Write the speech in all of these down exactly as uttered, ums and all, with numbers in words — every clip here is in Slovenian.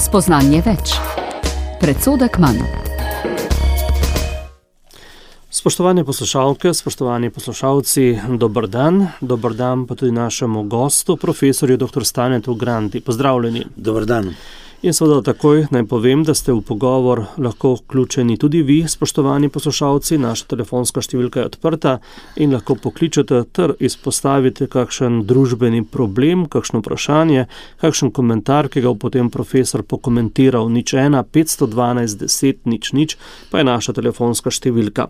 Spoznanje več. Predsodek manj. Spoštovane poslušalke, spoštovani poslušalci, dober dan. Dober dan pa tudi našemu gostu, profesorju doktor Stanetu Grandi. Pozdravljeni. Dober dan. In seveda takoj naj povem, da ste v pogovor lahko vključeni tudi vi, spoštovani poslušalci. Naša telefonska številka je odprta in lahko pokličete ter izpostavite kakšen družbeni problem, kakšno vprašanje, kakšen komentar, ki ga bo potem profesor pokomentiral. Nič ena, petsto dvanajst, deset, nič nič, pa je naša telefonska številka.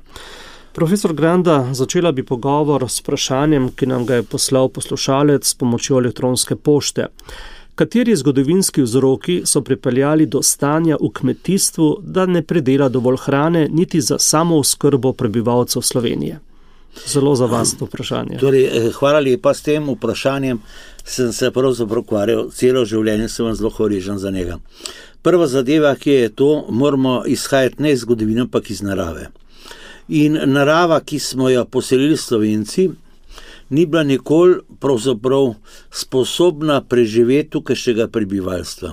Profesor Granda, začela bi pogovor s vprašanjem, ki nam ga je poslal poslušalec s pomočjo elektronske pošte. Kateri zgodovinski vzroki so pripeljali do stanja v kmetijstvu, da ne pridela dovolj hrane niti za samooskrbo prebivalcev Slovenije? Zelo za vas to vprašanje. Torej, hvala lepa, s tem vprašanjem sem se pravzaprav ukvarjal, celo življenje sem vam zelo hvaležen za njega. Prva zadeva, ki je to, moramo izhajati ne iz zgodovine, ampak iz narave. In narava, ki smo jo poselili Slovenci, ni bila nikoli pravzaprav sposobna preživeti tukajšnjega prebivalstva.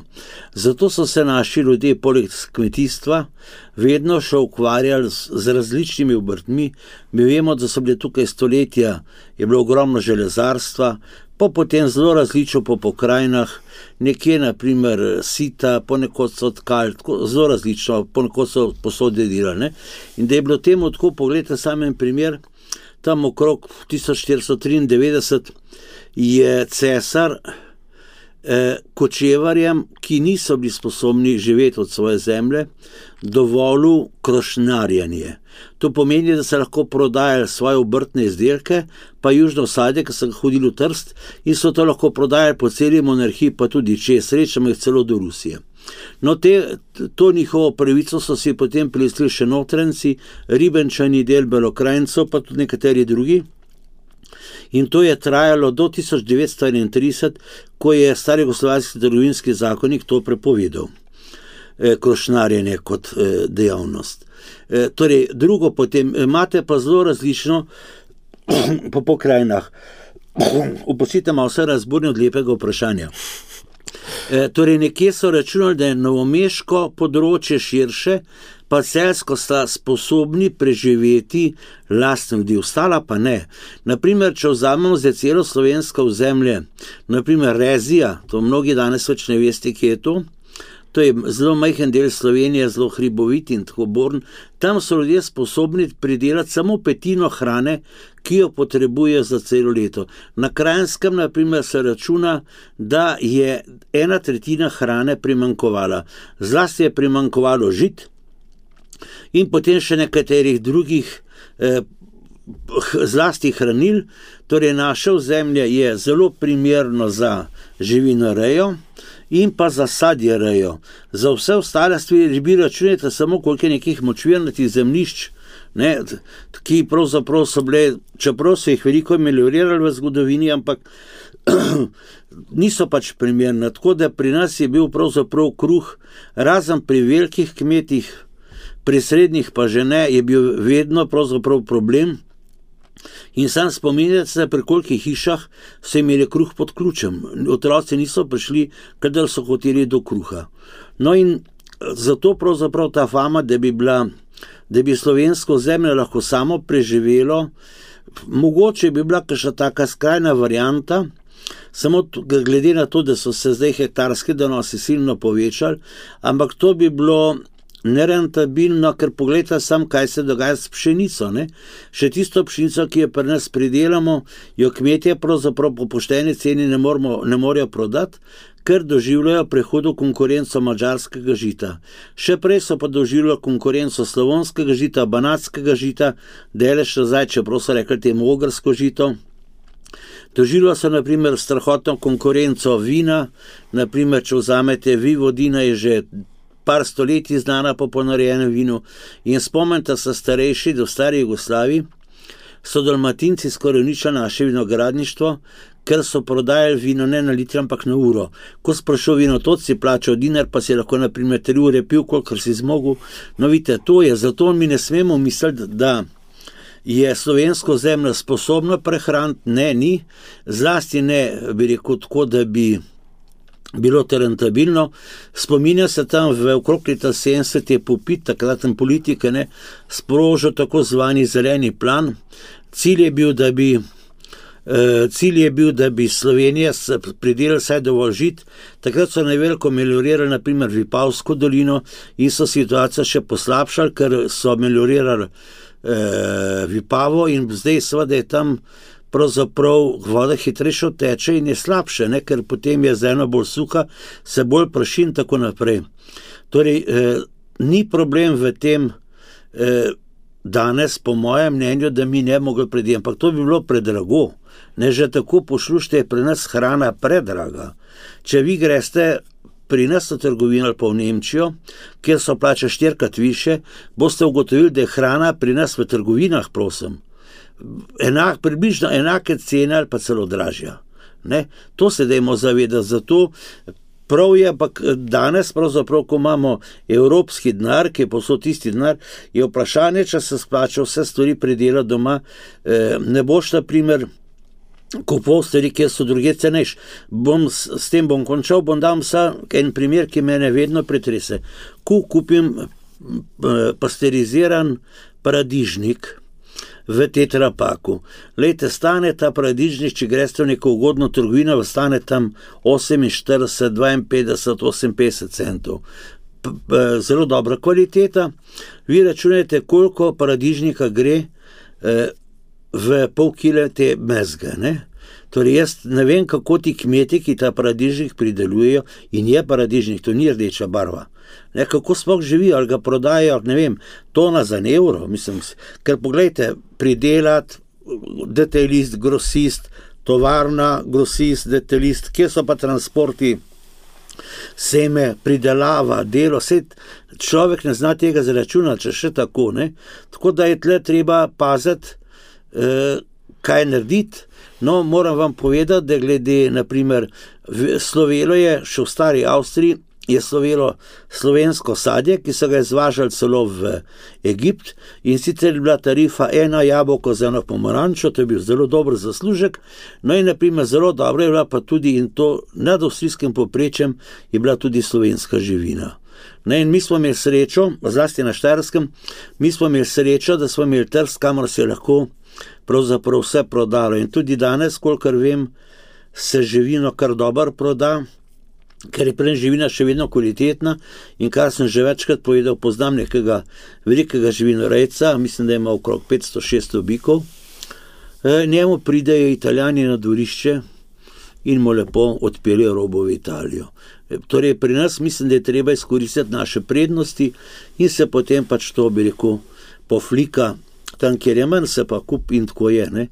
Zato so se naši ljudje poleg kmetijstva vedno še ukvarjali z, z različnimi obrtmi. Mi vemo, da so bile tukaj stoletja, je bilo ogromno železarstva, pa potem zelo različno po pokrajinah, nekje naprimer sita, ponekod so tkali, zelo različno, ponekod so posode delali. In da je bilo temu tako, pogledajte samen primer, tam okrog tisoč štiristo triindevetdeset je cesar eh, kočevarjem, ki niso bili sposobni živeti od svoje zemlje, dovolil krošnarjenje. To pomeni, da se lahko prodajali svoje obrtne izdelke, pa južno sadje, ki so hodili v Trst, in so to lahko prodajali po celi monarhiji, pa tudi čez, srečamo jih celo do Rusije. No, te, to njihovo pravico so si potem prilistili še Notranjci, Ribenčani, del Belokranjcev, pa tudi nekateri drugi. In to je trajalo do tisoč devetsto enaintrideset, ko je stari jugoslovanski trgovinski zakonik to prepovedal, e, krošnarjenje kot e, dejavnost. E, torej, drugo potem, imate pa zelo različno po pokrajinah. Upustite malo vse razburni od lepega vprašanja. E, torej, nekje so računali, da je novomeško področje širše, pa celsko sta sposobni preživeti lastne ljudi, ostala pa ne. Naprimer, če vzamemo za celo slovensko ozemlje, naprimer Rezija, to mnogi danes več ne veste, kje je to, to je zelo majhen del Slovenije, zelo hribovit in tako born, tam so ljudje sposobni pridelati samo petino hrane, ki jo potrebujejo za celo leto. Na Kranjskem, na primer, se računa, da je ena tretjina hrane primanjkovala. Zlasti je primanjkovalo žit in potem še nekaterih drugih eh, zlasti hranil. Torej, naše ozemlje je zelo primerno za živinorejo in pa za sadjerejo. Za vse ostale stvari bi računajte samo, koliko je nekih močvirnatih zemljišč, ne, ki pravzaprav so bile, čeprav so jih veliko meliorirali v zgodovini, ampak niso pač primerne. Tako da pri nas je bil pravzaprav kruh, razen pri velikih kmetih, pri srednjih pa že ne, je bil vedno pravzaprav problem. In sam spominjate se, pri kolikih hišah so imeli kruh pod ključem. Otroci niso prišli, kadar so hoteli do kruha. No in zato pravzaprav ta fama, da bi bila, da bi slovensko zemlje lahko samo preživelo, mogoče bi bila kakšna taka skrajna varianta, samo glede na to, da so se zdaj hektarski donosi silno povečali, ampak to bi bilo nerentabilno, ker pogledajte sam, kaj se dogaja s pšenico. Ne? Še tisto pšenico, ki jo pri nas pridelamo, jo kmetje pravzaprav po pošteni ceni ne, moramo, ne morejo prodati, ker doživljajo prehudo konkurenco madžarskega žita. Še prej so pa doživljali konkurenco slavonskega žita, banatskega žita, delež nazaj, čeprav so rekli temu ogrsko žito. Doživljajo so na primer strahotno konkurenco vina, na primer, če vzamete Vivodina, je že par stoletij znana po ponarejenem vinu, in spomnite se starejši, do stari Jugoslaviji so Dalmatinci skoraj uničili naše vinogradništvo, ker so prodajali vino ne na litr, ampak na uro. Ko sprašal vinotot, si plačal dinar, pa si lahko na primer tri ure pil, kolikor si zmogel. No, vidite, to je, zato mi ne smemo misliti, da je slovensko zemljo sposobno prehraniti, ne, ni, zlasti ne, bi rekel tako, da bi bilo to rentabilno. Spominja se tam v okrog leta sedemdeset je Pupit, takraten politik, ne, sprožil tako zvani zeleni plan. Cilj je bil, da bi Uh, cilj je bil, da bi Slovenija pridelala vsaj dovolj žit. Takrat so najveliko meliorirali naprimer Vipavsko dolino in so situacijo še poslabšali, ker so meliorirali uh, Vipavo in zdaj seveda je tam pravzaprav voda hitrejše teče in je slabše, ne? Ker potem je zemlja bolj suha, se bolj praši in tako naprej. Torej, uh, ni problem v tem uh, danes, po mojem mnenju, da mi ne mogli prediti, ampak to bi bilo predrago. Ne, že tako poslušajte, je pri nas hrana predraga. Če vi greste pri nas v trgovino ali pa v Nemčijo, kjer so plače štirikrat više, boste ugotovili, da je hrana pri nas v trgovinah, prosim, enak, približno enake cene ali pa celo dražja. Ne? To se dajmo zavedati, zato prav je, ampak danes pravzaprav, ko imamo evropski denar, ki je posod tisti denar, je vprašanje, če se splača vse stvari pridelati doma. Ne boš, na primer, kupov stvari, kjer so druge cenejš. Bom, s, s tem bom končal, bom dal vsa en primer, ki mene vedno pretrese. Ko kupim pasteriziran paradižnik v tetrapaku. Lejte, stane ta paradižnik, če greste v neko ugodno trgovino, stane tam oseminštirideset, dvainpetdeset, oseminpetdeset centov. P, p, zelo dobra kvaliteta. Vi računajte, koliko paradižnika gre eh, v pol kile te mezge, ne? Torej jaz ne vem, kako ti kmeti, ki ta paradižnik pridelujejo, in je paradižnik, to ni rdeča barva. Ne, kako sploh živijo, ali ga prodajajo, ne vem, tona za en evro, mislim, ker poglejte, pridelat, detailist, grosist, tovarna, grosist, detailist, kje so pa transporti, seme, pridelava, delo, vse človek ne zna tega zaračunati, če še tako, ne. Tako da je tle treba paziti, eh, kaj narediti. No, moram vam povedati, da glede, naprimer, slovelo je, še v stari Avstriji, je slovelo slovensko sadje, ki so ga izvažali celo v Egipt, in sicer je bila tarifa ena jabolko za eno pomarančo, to je bil zelo dober zaslužek. No in naprimer zelo dobro je bila pa tudi, in to nad avstrijskim povprečjem, je bila tudi slovenska živina. Ne, in mi smo imeli srečo, zlasti na Štajerskem, mi smo imeli srečo, da smo imeli trg, kamor se je lahko pravzaprav vse prodalo. In tudi danes, kolikor vem, se živino kar dobro proda, ker je prej živina še vedno kvalitetna, in kar sem že večkrat povedal, poznam nekega velikega živinorejca, mislim, da ima okrog petsto šeststo bikov, e, njemu pridejo Italijani na dvorišče in mu lepo odpeljejo robo v Italijo. E, torej pri nas mislim, da je treba izkoristiti naše prednosti in se potem pač to, bi rekel, poflika tam, kjer je manj, se pa kup in tako je. Ne,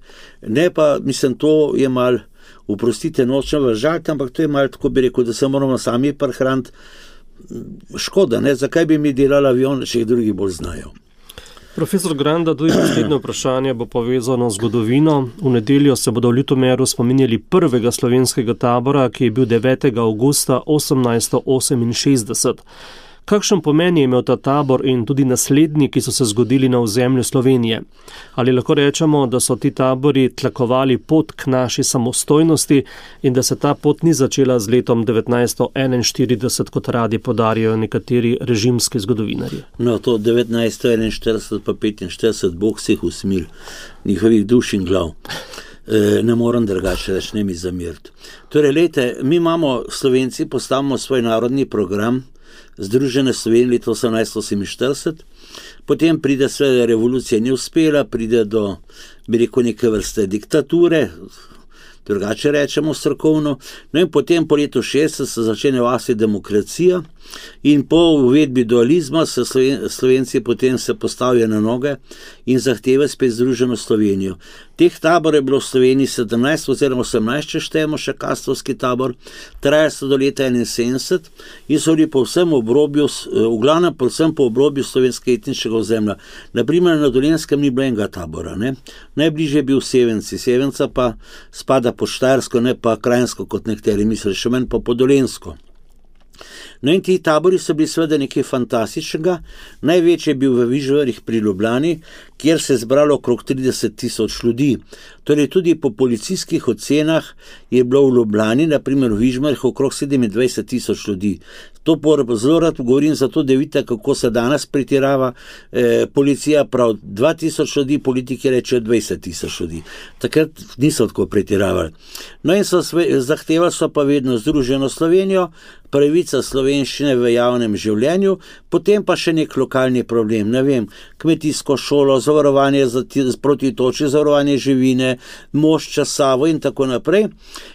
ne pa, mislim, to je mal, uprostite, nočem vas žaliti, ampak to je mal, tako bi rekel, da se moramo sami prehraniti. Škoda, ne, zakaj bi mi delali avion, če jih drugi bolj znajo. Profesor Granda, tudi naslednje vprašanje bo povezano z zgodovino. V nedeljo se bodo v Ljutomeru spominjali prvega slovenskega tabora, ki je bil devetega avgusta osemnajststo oseminšestdeset. Kakšen pomen je imel ta tabor in tudi naslednji, ki so se zgodili na ozemlju Slovenije? Ali lahko rečemo, da so ti tabori tlakovali pot k naši samostojnosti in da se ta pot ni začela z letom devetnajststo enainštirideset, kot radi podarjajo nekateri režimski zgodovinarji? No, to devetnajststo enainštirideset pa petinštirideset, Bog se jih usmil, njihovih duš in glav. E, ne moram drugače reči, ne mi zamiriti. Torej, lejte, mi imamo, Slovenci, postavimo svoj narodni program, Združene Slovenije leta osemnajststo oseminštirideset, potem pride sve, revolucija ni uspela, pride do, bi rekel, neke vrste diktature, drugače rečemo strokovno, no in potem po letu šestdeset se začne v Avstriji demokracija in po uvedbi dualizma se Sloven, Slovenci potem se postavijo na noge in zahteve spet Združeno Slovenijo. Teh tabor je bilo v Sloveniji sedemnajst oziroma osemnajst, če štejemo še kastovski tabor, traja se do leta enainsedemdeset in so bili po vsem obrobju, v glavnem povsem po obrobju slovenskega etničnega ozemlja. Naprimer na Dolenjskem ni bilo enega tabora, ne? Najbližje je bil Sevenci, Sevenca pa spada po Štajersko, ne pa Krajinsko, kot nekateri mislijo, še manj pa po Dolenjsko. No in ti tabori so bili seveda nekaj fantastičnega. Največji je bil v Vižarjih pri Ljubljani, kjer se je zbralo okrog trideset tisoč ljudi. Torej tudi po policijskih ocenah je bilo v Ljubljani, naprimer v Vižmarjih, okrog sedemindvajset tisoč ljudi. To zelo rad govorim, zato da vidite, kako se danes pretirava. E, policija prav dva tisoč ljudi, politiki rečejo dvajset tisoč ljudi. Takrat niso tako pretiravali. No in so sve, zahtevali so pa vedno Združeno Slovenijo, pravica slovenščine v javnem življenju, potem pa še nek lokalni problem, ne vem, kmetijsko šolo, zavarovanje za proti toči, zavarovanje živine, Mošča, Savo in tako naprej.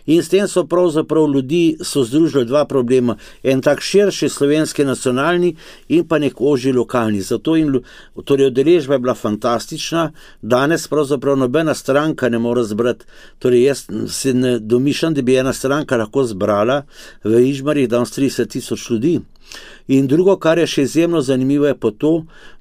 In s tem so pravzaprav ljudi so združili dva problema, en tak širši slovenski nacionalni in pa nek ožji lokalni. Zato in torej udeležba je bila fantastična, danes pravzaprav nobena stranka ne more zbrati, torej jaz se ne domišljam, da bi ena stranka lahko zbrala v Ižmarjih danes trideset tisoč ljudi. In drugo, kar je še izjemno zanimivo, je pa to,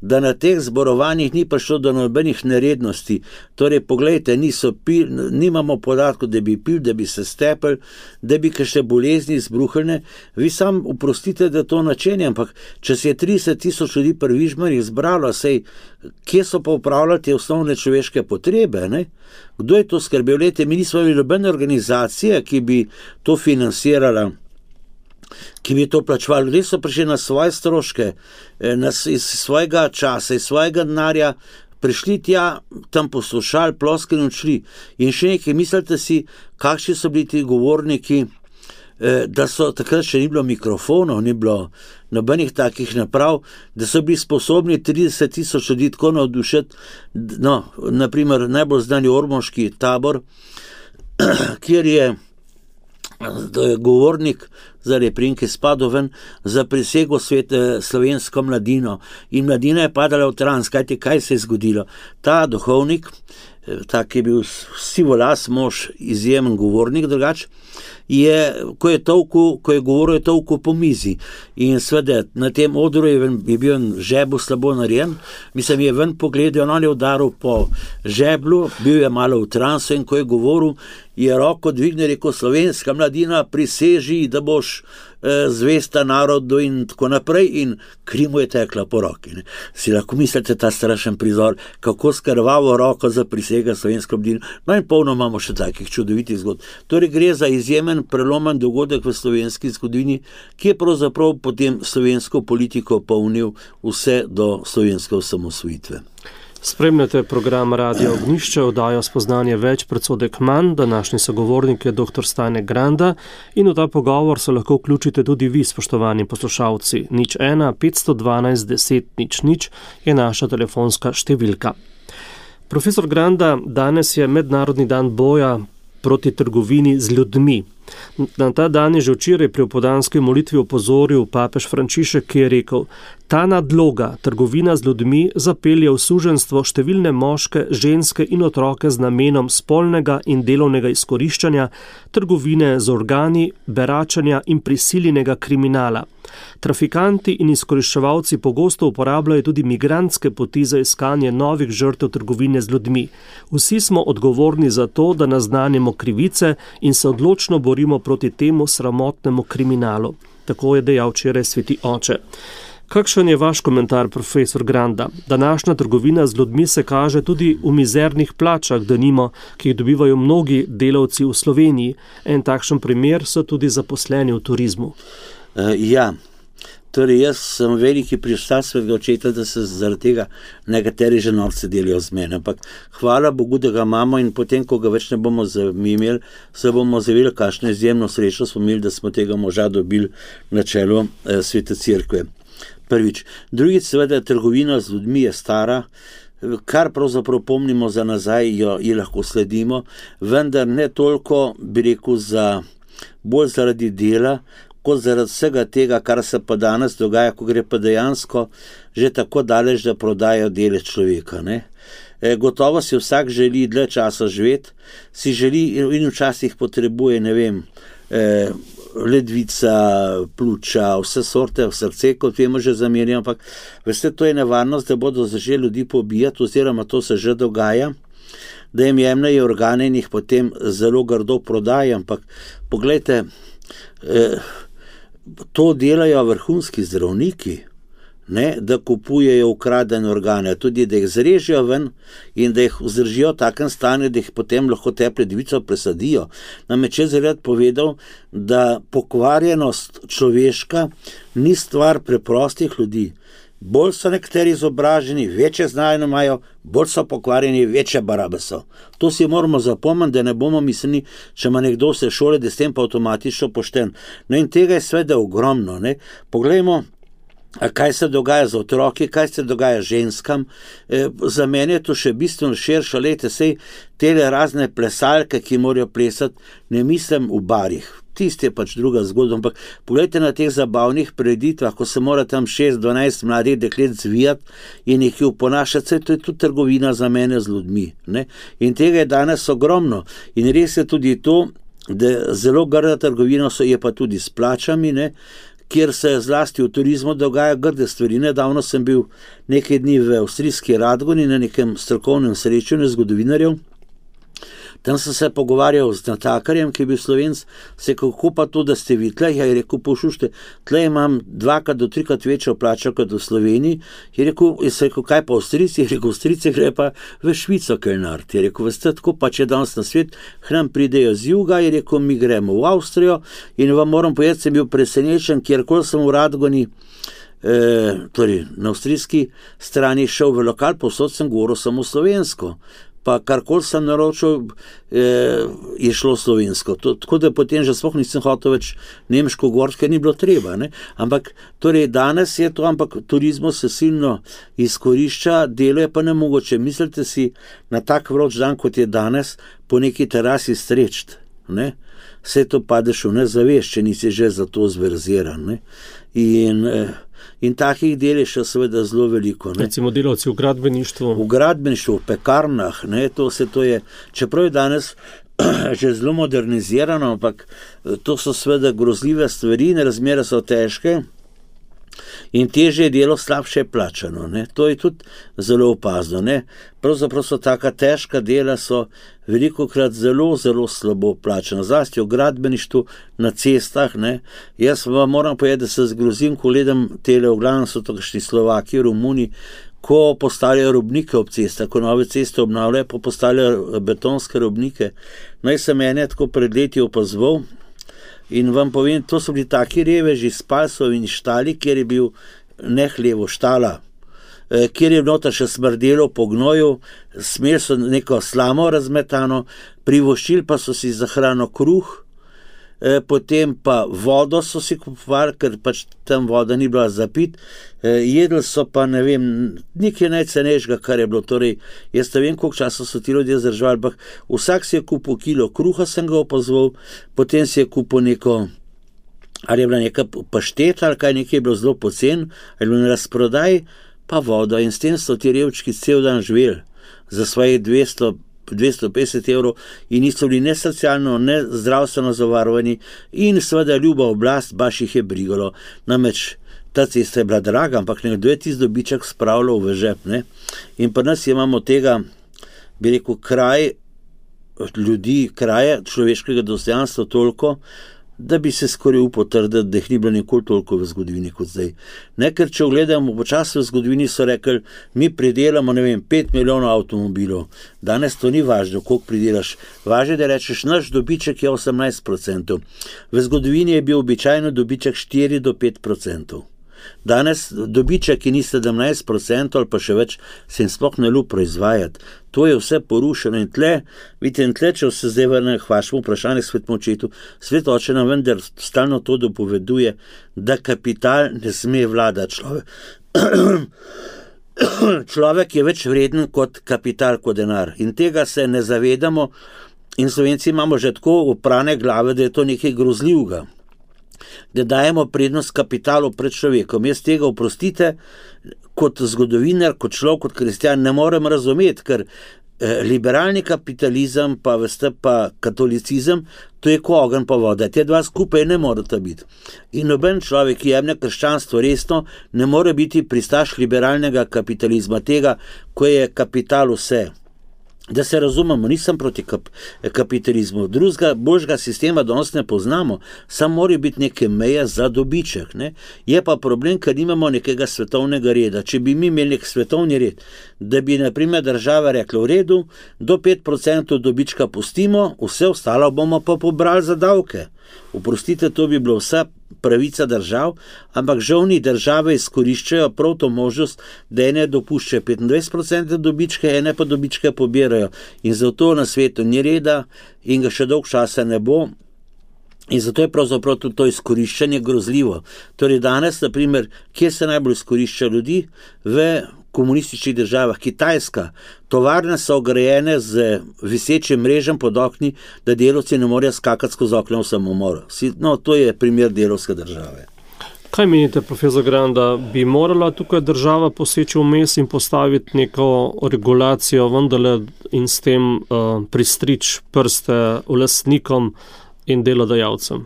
da na teh zborovanjih ni prišlo do nobenih nerednosti. Torej, poglejte, niso pil, nimamo podatkov, da bi pil, da bi se stepel, da bi kakšne bolezni izbruhljene. Vi sam oprostite, da to načenje, ampak če se je trideset tisoč ljudi pri Vižmarjih zbralo, sej, kje so pa upravljali te osnovne človeške potrebe, ne? Kdo je to skrbel? Lejte, mi nismo imeli nobene organizacije, ki bi to financirala, ki bi to plačevali. Res so prišli na svoje stroške, na, iz svojega časa, iz svojega denarja, prišli tja, tam poslušali, ploskali in odšli. In še nekaj, mislite si, kakšni so bili ti govorniki, da so takrat še ni bilo mikrofonov, ni bilo nobenih takih naprav, da so bili sposobni trideset tisoč ljudi tako navdušiti. No, naprimer, najbolj znani ormoški tabor, kjer je govornik zaradi Prinke Spadoven za prisego svet slovensko mladino in mladina je padala v trans. Kajte, kaj se je zgodilo? Ta duhovnik, tak je bil sivolas mož, izjemen govornik drugač, je, ko je tolku, ko je govoril, je tolku po mizi. In sveda, na tem odru je, je bil žebel slabo narejen, mislim, je ven pogledal, on je udaril po žeblu, bil je malo v transu in ko je govoril, je roko dvignil, rekel, slovenska mladina, priseži, da boš eh, zvesta narodu in tako naprej, in kri mu je tekla po roki. Ne. Si lahko mislite ta strašen prizor, kako skrvavo roko za prisega slovensko mladino. No in polno imamo še takih čudovitih zgodb. Torej gre za izjemen prelomen dogodek v slovenski zgodovini, ki je pravzaprav potem slovensko politiko polnil vse do slovenske osamosvojitve. Spremljate program Radio Ognjišče, oddajo Spoznanje več, predsodek manj. Današnji sogovornik je doktor Stane Granda in v ta pogovor se lahko vključite tudi vi, spoštovani poslušalci. nič ena petsto dvanajst deset nič nič je naša telefonska številka. Profesor Granda, danes je mednarodni dan boja proti trgovini z ljudmi. Na ta dan je že včeraj pri opoldanski molitvi opozoril papež Frančišek, ki je rekel: ta nadloga, trgovina z ljudmi, zapelje v suženjstvo številne moške, ženske in otroke z namenom spolnega in delovnega izkoriščanja, trgovine z organi, beračanja in prisiljenega kriminala. Trafikanti in izkoriščevalci pogosto uporabljajo tudi migrantske poti za iskanje novih žrtev trgovine z ljudmi. Vsi smo odgovorni za to, da naznanimo krivice in se odločno borimo proti temu sramotnemu kriminalu. Tako je dejal včeraj sveti oče. Kakšen je vaš komentar, profesor Granda? Današnja trgovina z ljudmi se kaže tudi v mizernih plačah, denimo, ki jih dobivajo mnogi delavci v Sloveniji. En takšen primer so tudi zaposleni v turizmu. Uh, ja, torej jaz sem veliki prištal svojega očeta, da se zaradi tega nekateri že norce delijo z mene, ampak hvala Bogu, da ga imamo, in potem, ko ga več ne bomo imeli, se bomo zavili, kakšno izjemno srečo smo imeli, da smo tega moža dobili na čelu eh, Svete Cerkve. Prvič. Drugič, seveda, trgovina z ljudmi je stara, kar pravzaprav pomnimo za nazaj, jo, jo lahko sledimo, vendar ne toliko, bi rekel, za, bolj zaradi dela, kot zaradi vsega tega, kar se pa danes dogaja, ko gre pa dejansko že tako daleč, da prodajo dele človeka. Ne? E, gotovo si vsak želi dlje časa živeti, si želi in včasih potrebuje, ne vem, e, ledvica, pljuča, vse sorte, v srce, kot vemo, že zamerjamo, ampak veste, to je nevarnost, da bodo začeli ljudi pobijati, oziroma to se že dogaja, da jim jemljajo organe in jih potem zelo grdo prodajo, ampak poglejte, eh, to delajo vrhunski zdravniki, ne, da kupujejo ukradene organe, tudi da jih zrežijo ven in da jih vzdržijo v takem stanju, da jih potem lahko te ledvico presadijo. Namreč jaz rad povedal, da pokvarjenost človeška ni stvar preprostih ljudi. Bolj so nekateri izobraženi, večje znanje imajo, bolj so pokvarjeni, večje barabe so. To si moramo zapomniti, da ne bomo mislili, če ima nekdo vse šole, da s tem pa avtomatično pošten. No in tega je sveda ogromno. Ne? Poglejmo, kaj se dogaja z otroki, kaj se dogaja ženskam. E, za mene je to še bistveno širše, lejte, sej tele razne plesalke, ki morajo plesati, ne mislim v barih. Tisti je pač druga zgodba, ampak pogledajte na teh zabavnih preditvah, ko se mora tam šest dvanajst mladih deklet zvijati in jih oponašati, se to je tudi trgovina za mene z ljudmi. Ne? In tega je danes ogromno. In res je tudi to, da zelo grda trgovina so, je pa tudi s plačami, ne? Kjer se zlasti v turizmu dogaja grde stvari. Nedavno sem bil nekaj dni v avstrijski Radgoni na nekem strokovnem srečanju zgodovinarjev. Tam sem se pogovarjal z natakarjem, ki je bil Slovenc, se kako pa to, da ste vi tle, ja je rekel, poslušajte, tle imam dvakrat do trikrat večjo plačo kot v Sloveniji, je rekel, je rekel, kaj pa Avstrijci, je rekel, Avstrijci gre pa v Švico kelnart, je rekel, veste, tako pa če danes na svet, k nam pridejo z juga, je rekel, mi gremo v Avstrijo in vam moram povedati, sem bil presenečen, kjerkoli sem v Radgoni, eh, torej na avstrijski strani šel v lokal, povsod sem govoril samo slovensko. Pa karkoli sem naročil, eh, je šlo slovensko. To, tako da potem že sploh nisem hotel več nemško govoriti, ker ni bilo treba. Ne? Ampak torej danes je to, ampak turizmo se silno izkorišča, delo je pa nemogoče. Mislite si na tak vroč dan, kot je danes, po neki terasi strečt. Ne? Vse to padeš v nezavest, če nisi že za to zverziran. Ne? In... Eh, In takih del je še seveda zelo veliko. Ne? Recimo delavci v gradbeništvu. V gradbeništvu, v pekarnah, ne, to se to je, čeprav je danes že zelo modernizirano, ampak to so seveda grozljive stvari, razmere so težke in težje je delo slabše plačano. Ne? To je tudi zelo opazno. Ne? Pravzaprav so taka težka dela, so velikokrat zelo, zelo slabo plačana. Zlasti v gradbeništvu, na cestah. Ne? Jaz vam moram povedati, da se zgrozim, ko gledam tele, v glavnem so to kakšni Slovaki, Romuni, ko postavljajo robnike ob cestah, ko nove ceste obnavljajo, pa postavljajo betonske robnike. Naj se mene tako pred leti opazoval, in vam povem, to so bili taki reveži s palsov in štali, kjer je bil ne hlevo štala, kjer je nota še smrdelo po gnoju, smeli so neko slamo razmetano, privoščili pa so si za hrano kruh, potem pa vodo so si kupovali, ker pač tam voda ni bila za pit, jedli so pa, ne vem, nekaj najcenejšega, kar je bilo, torej, jaz ne vem, koliko časa so ti ljudje zdržali, ampak vsak si je kupil kilo kruha, sem ga opazval, potem si je kupil neko, ali je bila neka pašteta, ali kaj, nekaj je bilo zelo pocen, ali je bilo na razprodaj, pa vodo, in s tem so ti revčki cel dan živeli za svojih dvesto dvesto petdeset evrov in niso bili ne socialno, ne zdravstveno zavarovani in seveda ljuba oblast baš jih je brigalo. Namreč ta cesta je bila draga, ampak nekdo je tisti dobiček spravljal v žep. Ne? In pri nas imamo tega, bi rekel, kraj ljudi, kraje človeškega dostojanstva toliko, da bi se skoraj upal trditi, da jih ni bilo nikoli toliko v zgodovini kot zdaj. Ne, ker če ogledamo počasi v zgodovini, so rekli, mi pridelamo, ne vem, pet milijonov avtomobilov. Danes to ni važno, koliko pridelaš. Važno je, da rečeš, naš dobiček je osemnajst procentov. V zgodovini je bil običajno dobiček štiri do pet procentov. Danes dobiček, ki ni sedemnajst procentov ali pa še več, se jim sploh ne ljubi proizvajati. To je vse porušeno in tle, vidite, in tle, če se zdaj vrne k vašemu vprašanju svetemu očetu, svet oče nam vendar stalno to dopoveduje, da kapital ne sme vladati človek. Človek je več vreden kot kapital, kot denar. In tega se ne zavedamo in Slovenci imamo že tako oprane glave, da je to nekaj grozljivega. Da dajemo prednost kapitalu pred človekom. Jaz tega, oprostite, kot zgodovinar, kot človek, kot kristjan ne morem razumeti, ker eh, liberalni kapitalizem pa, veste, pa katolicizem, to je ko ogenj pa voda. Te dva skupaj ne morata biti. In noben človek, ki jemlje krščanstvo resno, ne more biti pristaš liberalnega kapitalizma, tega, ko je kapital vse. Da se razumemo, nisem proti kap, kapitalizmu, drugega, boljšega sistema danes ne poznamo, samo mora biti neke meje za dobiček. Ne? Je pa problem, ker nimamo nekega svetovnega reda. Če bi mi imeli nek svetovni red, da bi na primer država rekla v redu, do pet procentov dobička pustimo, vse ostalo bomo pa pobrali za davke. Oprostite, to bi bilo vsa pravica držav, ampak žal ni, države izkoriščajo prav to možnost, da ene dopuščajo petindvajset procentov dobičke, ene pa dobičke pobirajo. In zato na svetu ni reda in ga še dolg časa ne bo. In zato je pravzaprav tudi to izkoriščanje grozljivo. Torej danes, na primer, kje se najbolj izkorišča ljudi? V komunističnih državah. Kitajska. Tovarne so ograjene z visečim mrežem pod okni, da delavci ne morejo skakati skozi okno v samomor. No, to je primer delavske države. Kaj menite, profesor Gran, da bi morala tukaj država poseči vmes in postaviti neko regulacijo vendarle in s tem uh, pristrič prste lastnikom in delodajalcem?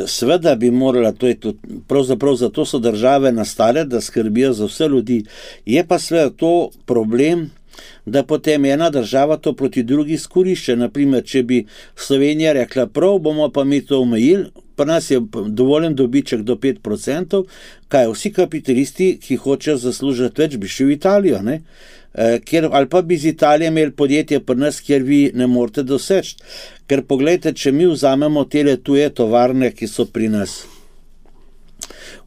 Seveda bi morala, to je tudi, pravzaprav zato so države nastale, da skrbijo za vse ljudi. Je pa seveda to problem, da potem ena država to proti drugi izkorišča. Naprimer, če bi Slovenija rekla prav, bomo pa mi to omejili, pa nas je dovoljen dobiček do pet procentov, kaj vsi kapitalisti, ki hočejo zaslužiti več, bi šli v Italijo, ne? Ker, ali pa bi iz Italije imeli podjetje pri nas, kjer vi ne morete doseči. Ker pogledajte, če mi vzamemo tele tuje tovarne, ki so pri nas.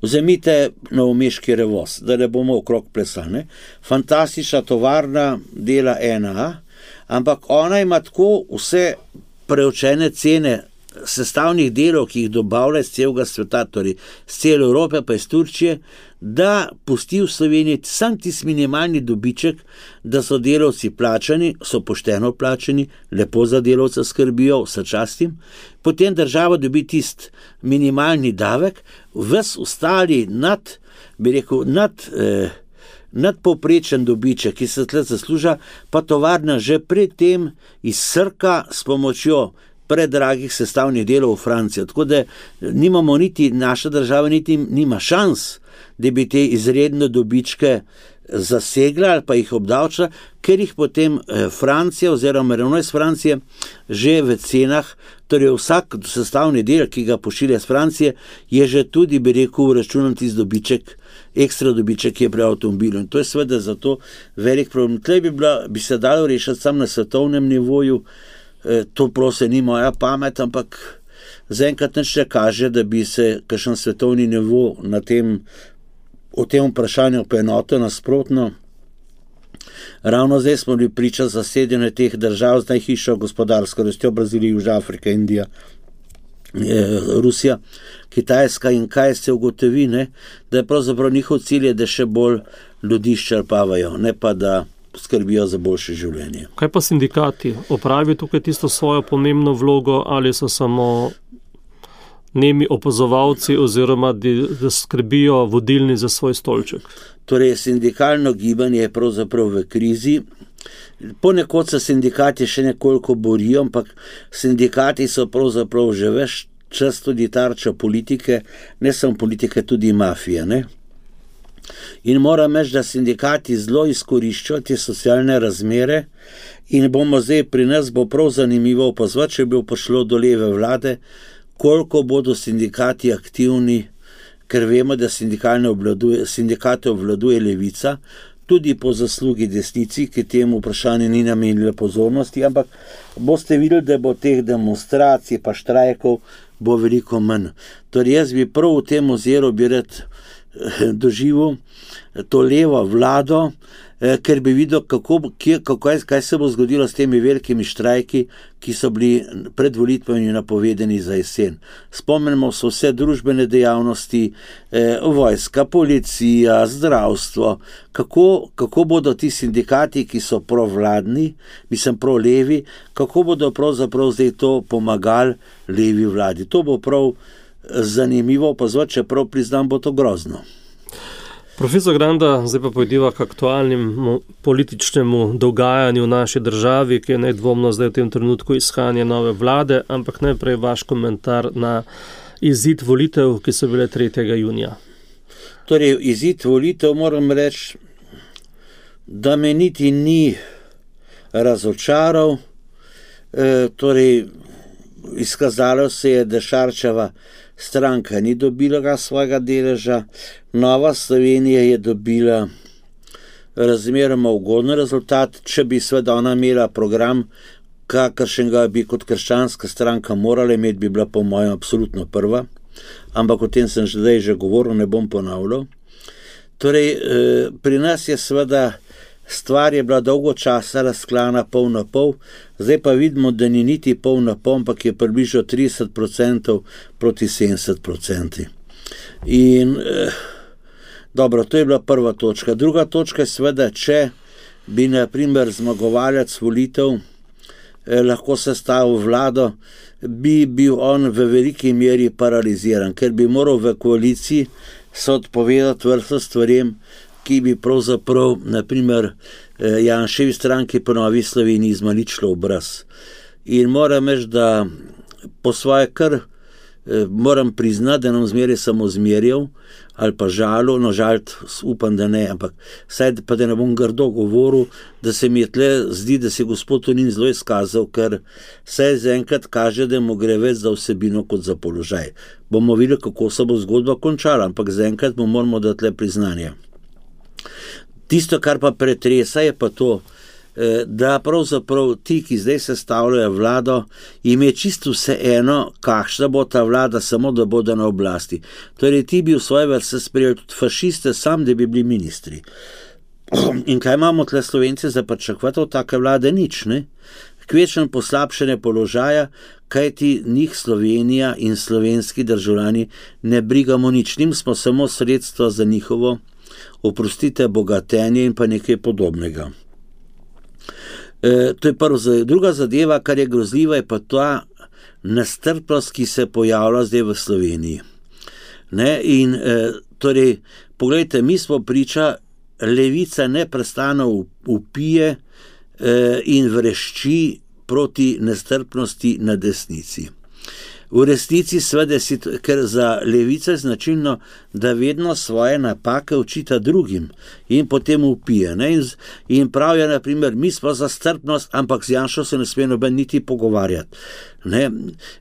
Vzemite novomeški Revoz, da ne bomo okrog plesali. Fantastična tovarna, dela ena A, ampak ona ima tako vse preučene cene sestavnih delov, ki jih dobavlja iz celega sveta, torej iz cele Evrope pa iz Turčije, da pusti v Sloveniji sam tisti minimalni dobiček, da so delavci plačani, so pošteno plačani, lepo za delavca skrbijo, vse častim, potem država dobi tisti minimalni davek, ves ostali nad, bi rekel, nad, eh, nadpovprečen dobiček, ki se tle zasluža, pa tovarna že predtem izsrka s pomočjo predragih sestavnih delov v Francijo. Tako da nimamo niti, naša država niti nima šans, da bi te izredne dobičke zasegla ali pa jih obdavčila, ker jih potem Francija oziroma ravno iz Francije že v cenah, torej vsak sestavni del, ki ga pošilja iz Francije, je že tudi, bi rekel, računan tisti dobiček, ekstra dobiček, ki je pri avtomobilu. In to je seveda zato velik problem. Tle bi, bila, bi se dalo rešiti samo na svetovnem nivoju. To prosim ni moja pamet, ampak zaenkrat nič ne kaže, da bi se kakšen svetovni nivo na tem, o tem vprašanju poenotil. Nasprotno. Ravno zdaj smo bili priča zasedene teh držav z najhišjo gospodarsko rastjo, Brazilija, Južna Afrika, Indija, Rusija, Kitajska, in kaj se ugotovi, ne? Da je pravzaprav njihov cilj je, da še bolj ljudi ščrpavajo, ne pa da skrbijo za boljše življenje. Kaj pa sindikati? Opravijo tukaj tisto svojo pomembno vlogo ali so samo nemi opazovalci oziroma da skrbijo vodilni za svoj stolček? Torej, sindikalno gibanje je pravzaprav v krizi. Ponekod se sindikati še nekoliko borijo, ampak sindikati so pravzaprav že ves čas tudi tarča politike, ne samo politike, tudi mafije, ne? In moram reči, da sindikati zelo izkoriščajo te socialne razmere in bomo zdaj pri nas bo prav zanimivo opazovati, če bi prišlo do leve vlade, koliko bodo sindikati aktivni, ker vemo, da obvladuje, sindikate obvladuje levica, tudi po zaslugi desnici, ki temu vprašanju ni namenila pozornosti, ampak boste videli, da bo teh demonstracij pa štrajkov bo veliko manj. Torej jaz bi prav v tem oziru bi rad doživel to levo vlado, ker bi videl, kako, kako, kaj se bo zgodilo s temi velikimi štrajki, ki so bili pred volitvami napovedani za jesen. Spomnimo se vse družbene dejavnosti, eh, vojska, policija, zdravstvo, kako, kako bodo ti sindikati, ki so provladni, mislim prav levi, kako bodo pravzaprav zdaj to pomagali levi vladi. To bo prav zanimivo opazovati, čeprav priznam, bo to grozno. Profesor Granda, zdaj pa pojdiva k aktualnemu političnemu dogajanju v naši državi, ki je nedvomno zdaj v tem trenutku iskanje nove vlade, ampak najprej vaš komentar na izid volitev, ki so bile tretjega junija. Torej, izid volitev moram reči, da me niti ni razočaral. E, torej, izkazalo se je, da Šarčeva stranka ni dobila svojega deleža, Nova Slovenija je dobila razmeroma ugoden rezultat. Če bi seveda ona imela program, kakršnega bi kot krščanska stranka morala imeti, bi bila po mojem absolutno prva, ampak o tem sem že zdaj že govoril, ne bom ponavljal. Torej, pri nas je seveda stvar je bila dolgo časa razklana pol na pol, zdaj pa vidimo, da ni niti pol na pol, ampak je približno trideset odstotkov proti sedemdeset odstotkom. In eh, dobro, to je bila prva točka. Druga točka je seveda, če bi na primer zmagovalec volitev eh, lahko sestavil vlado, bi bil on v veliki meri paraliziran, ker bi moral v koaliciji se odpovedati vrsto stvarem, ki bi pravzaprav, naprimer, Janševi stranki po Novi Sloveniji izmaličilo obraz. In moram reči, da po svoje kar moram priznati, da nam zmeraj samo zmerjal ali pa žalil, no žalt upam, da ne, ampak saj pa da ne bom grdo govoril, da se mi je tle zdi, da se gospod Tonin zelo izkazal, ker saj zaenkrat kaže, da mu gre več za vsebino kot za položaj. Bomo videli, kako se bo zgodba končala, ampak zaenkrat mu moramo dati le priznanje. Tisto, kar pa pretresa, je pa to, da pravzaprav ti, ki zdaj sestavljajo vlado, jim je čisto vse eno, kakšna bo ta vlada, samo da bodo na oblasti. Torej, ti bi v svoje vrste sprejeli tudi fašiste, sam da bi bili ministri. In kaj imamo tle Slovenci za pričakovati od take vlade? Nič, ne? Kvečnem poslabšanje položaja, kajti njih Slovenija in slovenski državljani ne brigamo nič, njim smo samo sredstva za njihovo, oprostite, bogatenje in pa nekaj podobnega. E, to je prvo. Druga zadeva, kar je grozljiva, je pa ta nestrpnost, ki se pojavlja zdaj v Sloveniji. Ne? In e, torej, poglejte, mi smo priča, levica neprestano upije e, in vrešči proti nestrpnosti na desnici. V resnici seveda, ker za levico je značilno, da vedno svoje napake očita drugim in potem upije. Ne? In, in pravijo, na primer, mi smo za strpnost, ampak z Janšo se ne sme noben niti pogovarjati. Ne?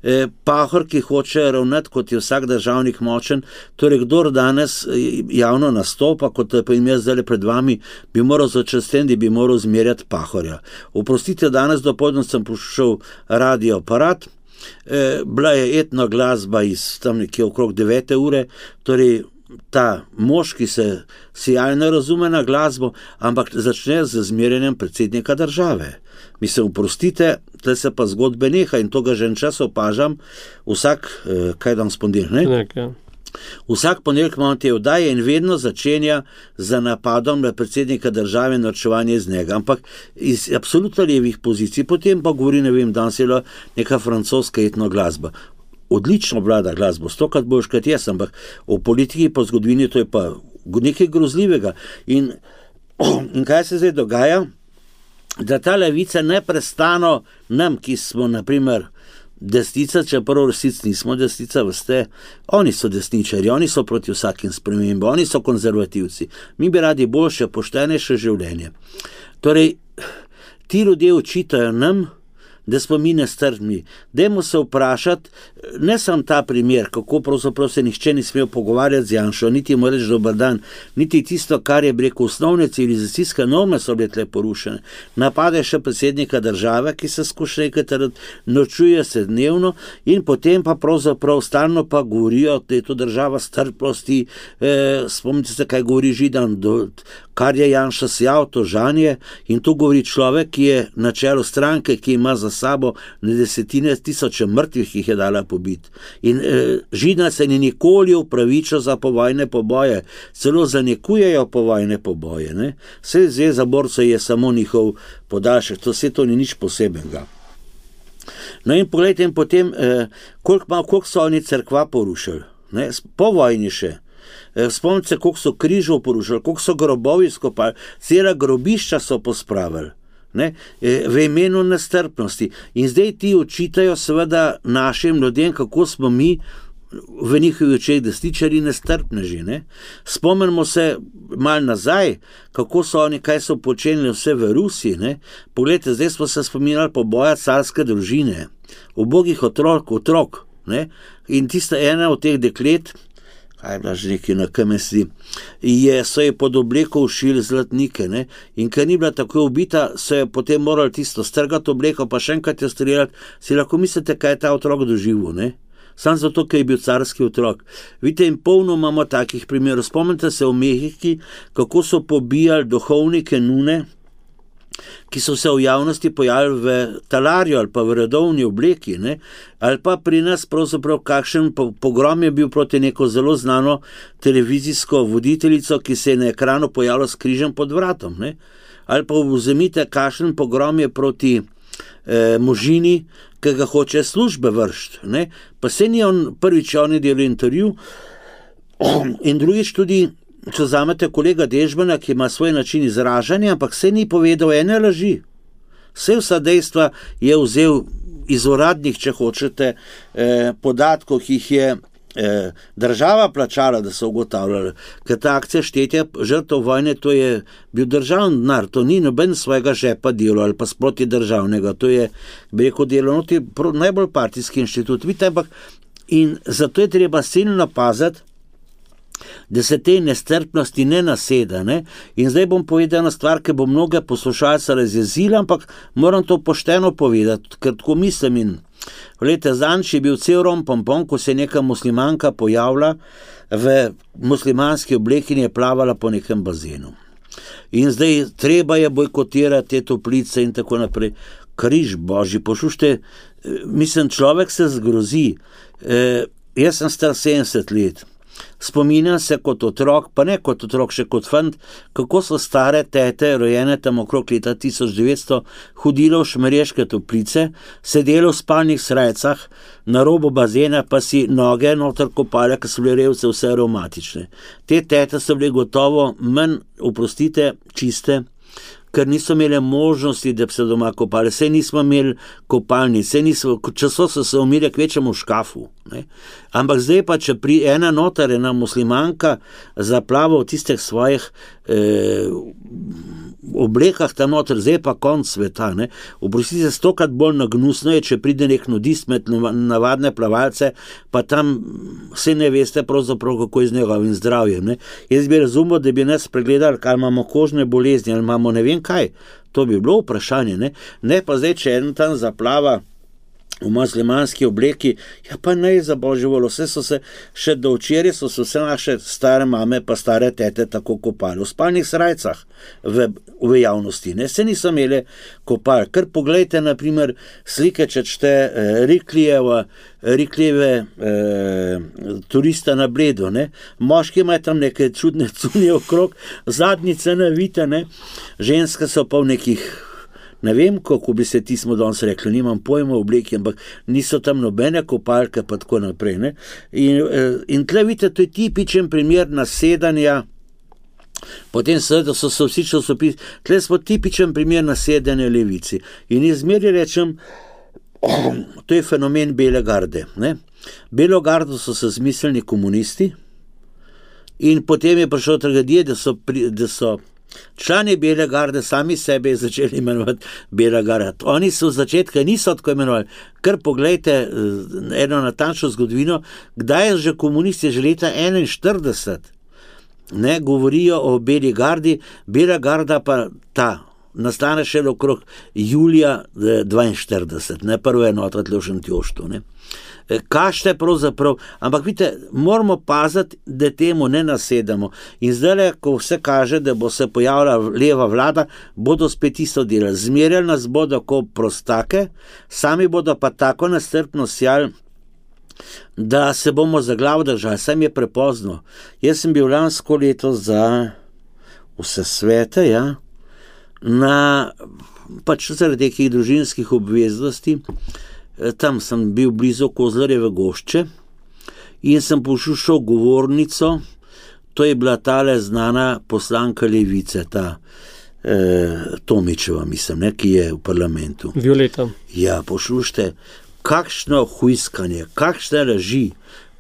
E, Pahor, ki hoče ravnati, kot je vsak državnik močen, torej kdor danes javno nastopa, kot pa jim jaz zdaj pred vami, bi moral začastem, da bi moral zmerjati Pahorja. Oprostite, danes dopoldne sem poslušal radio aparat, E, bila je etno glasba iz tam nekje okrog devete ure, torej ta mož, ki se sijajno razume na glasbo, ampak začne z zmerjanjem predsednika države. Mislim, oprostite, tle se pa zgodbe neha in to ga že en čas opažam, vsak, eh, kaj dan spondil, ne? Nek, ja. Vsak ponedeljek imamo te oddaje in vedno začenja z napadom na predsednika države in norčevanje iz njega, ampak iz absolutno levih pozicij, potem pa govori, ne vem, danes je neka francoska etno glasba. Odlično vlada glasbo, stokrat boljš kot jaz, ampak v politiki po zgodovini to je pa nekaj grozljivega. In, in kaj se zdaj dogaja? Da ta levica neprestano nam, ki smo, na primer, desnica, čeprav resnici nismo desnica, veste, oni so desničari, oni so proti vsakim spremembam, oni so konzervativci. Mi bi radi boljše, poštenejše življenje. Torej, ti ljudje očitajo nam, da smo mi nestrpni. Dajmo se vprašati, ne samo ta primer, kako pravzaprav se nihče ni smel pogovarjati z Janšo, niti mu reči dober dan, niti tisto, kar je rekel, osnovne civilizacijske norme so bile tle porušene. Napade še predsednika države, ki se skuša nekaj, nočuje se dnevno in potem pa pravzaprav stalno pa govorijo, da je to država strpnosti, eh, spomnite se, kaj govori Židan, do, kar je Janša sjal, to žanje, in to govori človek, ki je na čelu stranke, ki ima za sabo na desetine tisoče mrtvih, ki jih je dala pobiti. In e, Židan se ni nikoli upravičil za povojne poboje, celo zanikujejo povojne poboje. Ne? Vse zveza borcev je samo njihov podaljšek, to vse to ni nič posebenega. No in pogledajte, in potem, e, koliko, koliko so oni cerkva porušili, ne? Po vojni še. Spomnite se, koliko so križov porušili, koliko so grobovi skopali, cela grobišča so pospravili. Ne, v imenu nestrpnosti. In zdaj ti očitajo seveda našim ljudem, kako smo mi v njihovih očeh desničarji nestrpneži. Ne? Spomnimo se malo nazaj, kako so oni, kaj so počenili vse v Rusiji. Ne? Poglejte, zdaj smo se spominjali poboja carske družine, ubogih otrok, otrok. Ne? In tista ena od teh deklet, kaj je bila že nekaj na K M S D, je, so je pod obleko ušili zlatnike. Ne? In ker ni bila tako ubita, so je potem morali tisto strgati obleko, pa še enkrat jo streljati. Si lahko mislite, kaj je ta otrok doživel, ne? Sam zato, ker je bil carski otrok. Vidite, in polno imamo takih primerov. Spomnite se v Mehiki, kako so pobijali duhovnike nune, ki so se v javnosti pojavili v talarju ali pa v redovni obleki, ne? Ali pa pri nas pravzaprav kakšen pogrom je bil proti neko zelo znano televizijsko voditeljico, ki se je na ekranu pojavila s križem pod vratom. Ne? Ali pa vzemite, kakšen pogrom je proti eh, možini, ki ga hoče službe vršiti. Ne? Pa se ni on prvič on je delal intervju in drugič tudi, če vzamete kolega Dežmana, ki ima svoj način izražanja, ampak se ni povedal ene laži. Vse vsa dejstva je vzel iz uradnih, če hočete, eh, podatkov, ki jih je eh, država plačala, da so ugotavljali. Ker ta akcija štetja žrtev vojne, to je bil državni denar, to ni noben svojega žepa delo ali pa sproti državnega, to je, bi rekel, delo, no, to je najbolj partijski inštitut. Vidite, ampak in zato je treba silno paziti, da se te nestrpnosti ne naseda. Ne? In zdaj bom povedal ena stvar, ki bo mnoge poslušalce razjezila, ampak moram to pošteno povedati, ker tako mislim. In Glejte, zanč je bil cel rom pompon, ko se je neka muslimanka pojavila v muslimanski obleki in je plavala po nekem bazenu. In zdaj treba je bojkotirati te toplice in tako naprej. Križ božji, poslušajte, mislim, človek se zgrozi. E, jaz sem star sedemdeset let. Spominjam se kot otrok, pa ne kot otrok, še kot fant, kako so stare tete, rojene tam okrog leta tisoč devetsto, hodile v Šmarješke toplice, sedele v spalnih srajcah, na robu bazena pa si noge noter kopale, ker so bile revce vse aromatične. Te tete so bile gotovo manj, oprostite, čiste, ker niso imeli možnosti, da bi se doma kopali. Saj nismo imeli kopalnic, časo so se umili kvečemu v škafu. Ne? Ampak zdaj pa, če pri ena notar, ena muslimanka zaplava v tistih svojih eh, oblekah tam notar, zdaj pa konc sveta. Ne? Oprostite, stokrat bolj nagnusno je, če pride nek nudist med navadne plavalce, pa tam vse ne veste pravzaprav, kako je z njegovim zdravjem. Ne? Jaz bi razumel, da bi nas pregledali, ali imamo kožne bolezni, ali imamo ne vem kaj. To bi bilo vprašanje. Ne, ne pa zdaj, če en tam zaplava v muslimanski obleki, ja pa ne za božjo voljo, vse so se, še do včeraj so se vse naše stare mame pa stare tete tako kopali, v spalnih srajcah v, v javnosti, ne, se niso imeli kopali. Ker poglejte, na primer, slike, če čte eh, Riklijeva, Riklijeve eh, turista na Bledu, ne, moški imajo tam neke čudne cunje okrog, zadnjice navite, ne, ženske so pa v nekih, ne vem, kako bi se ti smo danes rekli, nimam pojma v obleki, ampak niso tam nobene kopalke, pa tako naprej. Ne? In, in tle vidite, to je tipičen primer nasedanja, potem seveda so se vsi časopisi, tle smo tipičen primer nasedanja levici. In izmeri rečem, to je fenomen Bele garde. Ne? Belo gardo so se zmislili komunisti in potem je prišel tragedije, da so, pri, da so člani Bele garde sami sebe začeli imenovati Bela garda. Oni so v začetku niso tako imenovali. Ker poglejte eno natančno zgodovino, kdaj je že komunisti, že leta enainštirideset, ne, govorijo o Beli gardi, Bela garda pa ta nastane še okrog julija dvainštirideset, ne, prva enota tle v Šentjoštu, ne. Kašte pravzaprav, ampak vidite, moramo paziti, da temu ne nasedamo. In zdaj, ko vse kaže, da bo se pojavila leva vlada, bodo spet isto delali. Zmerjali nas bodo kot prostake, sami bodo pa tako nestrpno sjali, da se bomo za glavo držali. Saj mi je prepozno. Jaz sem bil lansko leto za vse svete, ja, na pač zaradi nekih družinskih obveznosti. Tam sem bil blizu Kozlarjeve gošče in sem poslušal govornico, to je bila tale znana poslanka levice, ta eh, Tomičeva, mislim, ne, ki je v parlamentu. Violeta. Ja, poslušajte, kakšno hujskanje, kakšne laži,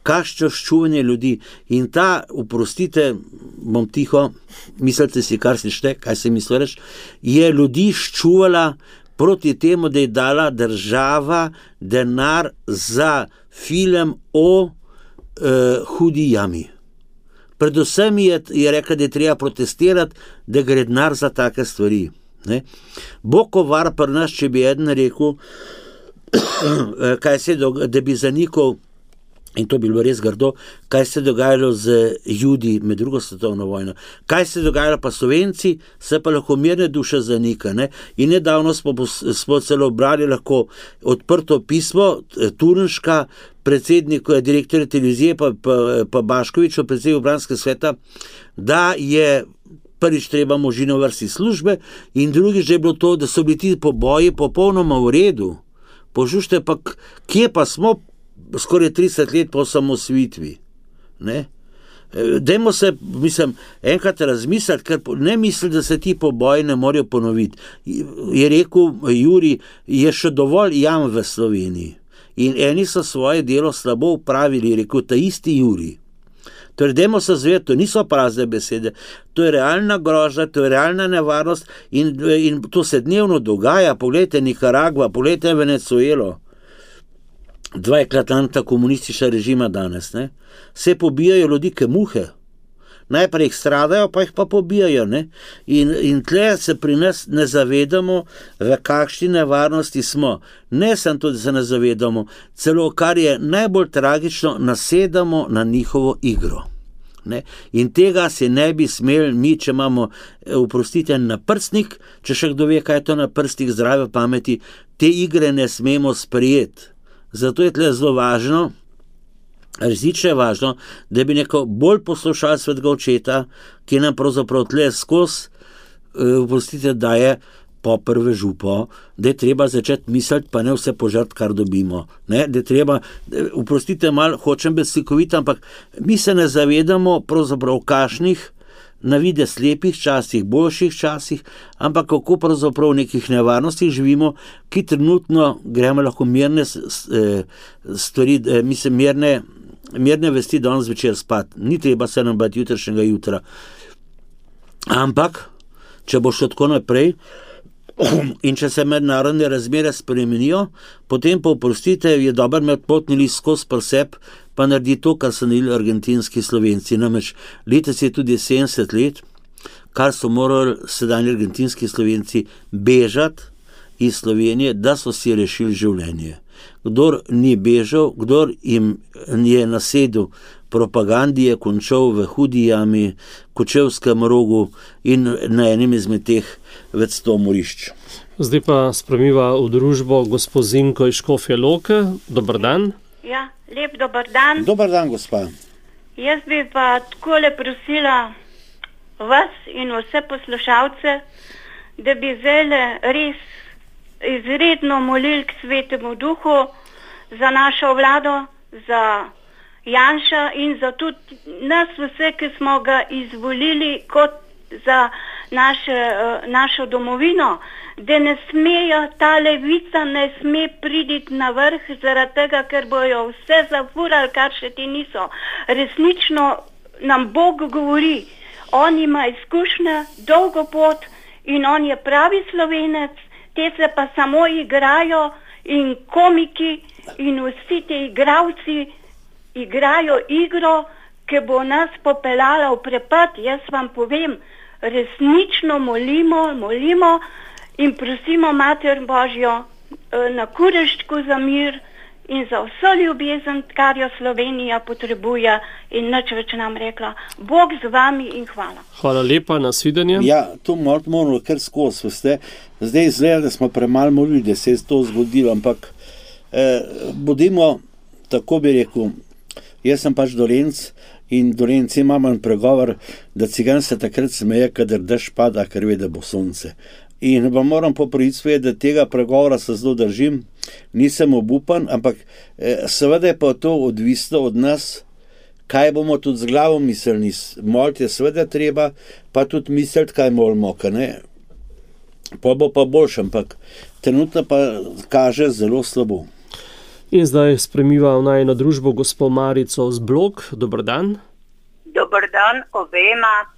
kakšno ščuvanje ljudi. In ta, oprostite, bom tiho, mislite si, kar si šte, kaj se misliš, je ljudi ščuvala proti temu, da je dala država denar za film o uh, hudi jami. Predvsem je, je rekla, da je treba protestirati, da gre denar za take stvari. Ne? Bokovar pri nas, če bi eden rekel, kaj se dogaja, da bi zanikal, in to bi bilo res grdo, kaj se dogajalo z Judi med drugo svetovno vojno. Kaj se dogajalo pa Slovenci, se pa lahko mirne duše zanika. Ne? In nedavno smo, smo celo brali lahko odprto pismo Turnška, predsednik, direktorja televizije, pa, pa, pa Baškoviču, predsednik obranskega sveta, da je prvič treba možino vrsti službe in drugič, da je bilo to, da so bili ti poboji popolnoma v redu. Požušte pa, kje pa smo skoraj trideset let po osamosvojitvi. Ne? Dajmo se, mislim, enkrat razmisliti, ker ne misli, da se ti poboji ne morajo ponoviti. Je rekel Juri, je še dovolj jam v Sloveniji. In eni so svoje delo slabo upravili, je rekel ta isti Juri. Torej, dajmo se zvedeti, to niso prazne besede, to je realna grožnja, to je realna nevarnost in, in to se dnevno dogaja. Poglejte Nikaragva, poglejte Venezuelo. Dva eklatanta komunistična režima danes, ne? Se pobijajo ljudi ke muhe. Najprej jih stradajo, pa jih pa pobijajo, ne? In, in tle se pri nas ne zavedamo, v kakšni nevarnosti smo. Ne samo to, da se ne zavedamo, celo kar je najbolj tragično, nasedamo na njihovo igro. Ne? In tega se ne bi smeli mi, če imamo, oprostite, naprstnik, če še kdo ve, kaj je to naprstnik zdrave pameti, te igre ne smemo sprejeti. Zato je tle zelo važno, resnično je važno, da bi neko bolj poslušali svetega očeta, ki nam pravzaprav tle skozi, oprostite, daje po prve župo, da je treba začeti misliti, pa ne vse požrt, kar dobimo. Ne? Da je treba, oprostite, malo hočem biti slikovit, ampak mi se ne zavedamo pravzaprav kašnih, na vide slepih časih, boljših časih, ampak kako pravzaprav v nekih nevarnostih živimo, ki trenutno gremo lahko mirne stvari, mislim, mirne, mirne vesti danes večer spat. Ni treba se nam bati jutrišnjega jutra. Ampak, če bo šlo tako naprej, in če se mednarodne razmere spremenijo, potem pa, oprostite, je dober imeti potni list skozi pri sebi, pa naredi to, kar so naredili argentinski Slovenci. Namreč letos je tudi sedemdeset let, kar so morali sedanji argentinski Slovenci bežati iz Slovenije, da so si rešili življenje. Kdor ni bežal, kdor jim je nasedel propagandi, je končal v hudi jami, Kočevskem rogu in na enem izmed teh več sto morišč. Zdaj pa spremiva v družbo gospod Zinko iz Škofje Loke. Dobar dan. Ja, lep dobar dan. Dobar dan, gospa. Jaz bi pa takole prosila vas in vse poslušalce, da bi zdajle res izredno molili k Svetemu Duhu za našo vlado, za Janša in za tudi nas vse, ki smo ga izvolili kot za naše, našo domovino, da ne smejo, ta levica ne sme priditi na vrh zaradi tega, ker bojo vse zafurali, kar še ti niso. Resnično nam Bog govori, on ima izkušnje, dolgo pot in on je pravi Slovenec, te se pa samo igrajo in komiki in vsi te igravci igrajo igro, ki bo nas popeljala v prepad. Jaz vam povem, resnično molimo, molimo in prosimo Mater Božjo na Kureščku za mir in za vso ljubezen, kar jo Slovenija potrebuje in nič več nam rekla. Bog z vami in hvala. Hvala lepa, nasvidenje. Ja, to moramo kar skozi, veste. Zdaj izgleda, da smo premalo molili, da se je to zgodilo, ampak eh, bodimo, tako bi rekel, jaz sem pač Dolenc in Dolenci imamo en pregovor, da cigan se takrat smeje, kadar dež pada, ker ve, da bo sonce. In vam moram popraviti svoje, da tega pregovora se zelo držim, nisem obupan, ampak eh, seveda je pa to odvisno od nas, kaj bomo tudi z glavo mislili. Moliti je seveda treba, pa tudi misliti, kaj molimo, ne? Pa bo pa boljše, ampak trenutno pa kaže zelo slabo. In zdaj spremiva v najino družbo gospo Marico z Blok. Dober dan. Dober dan obema.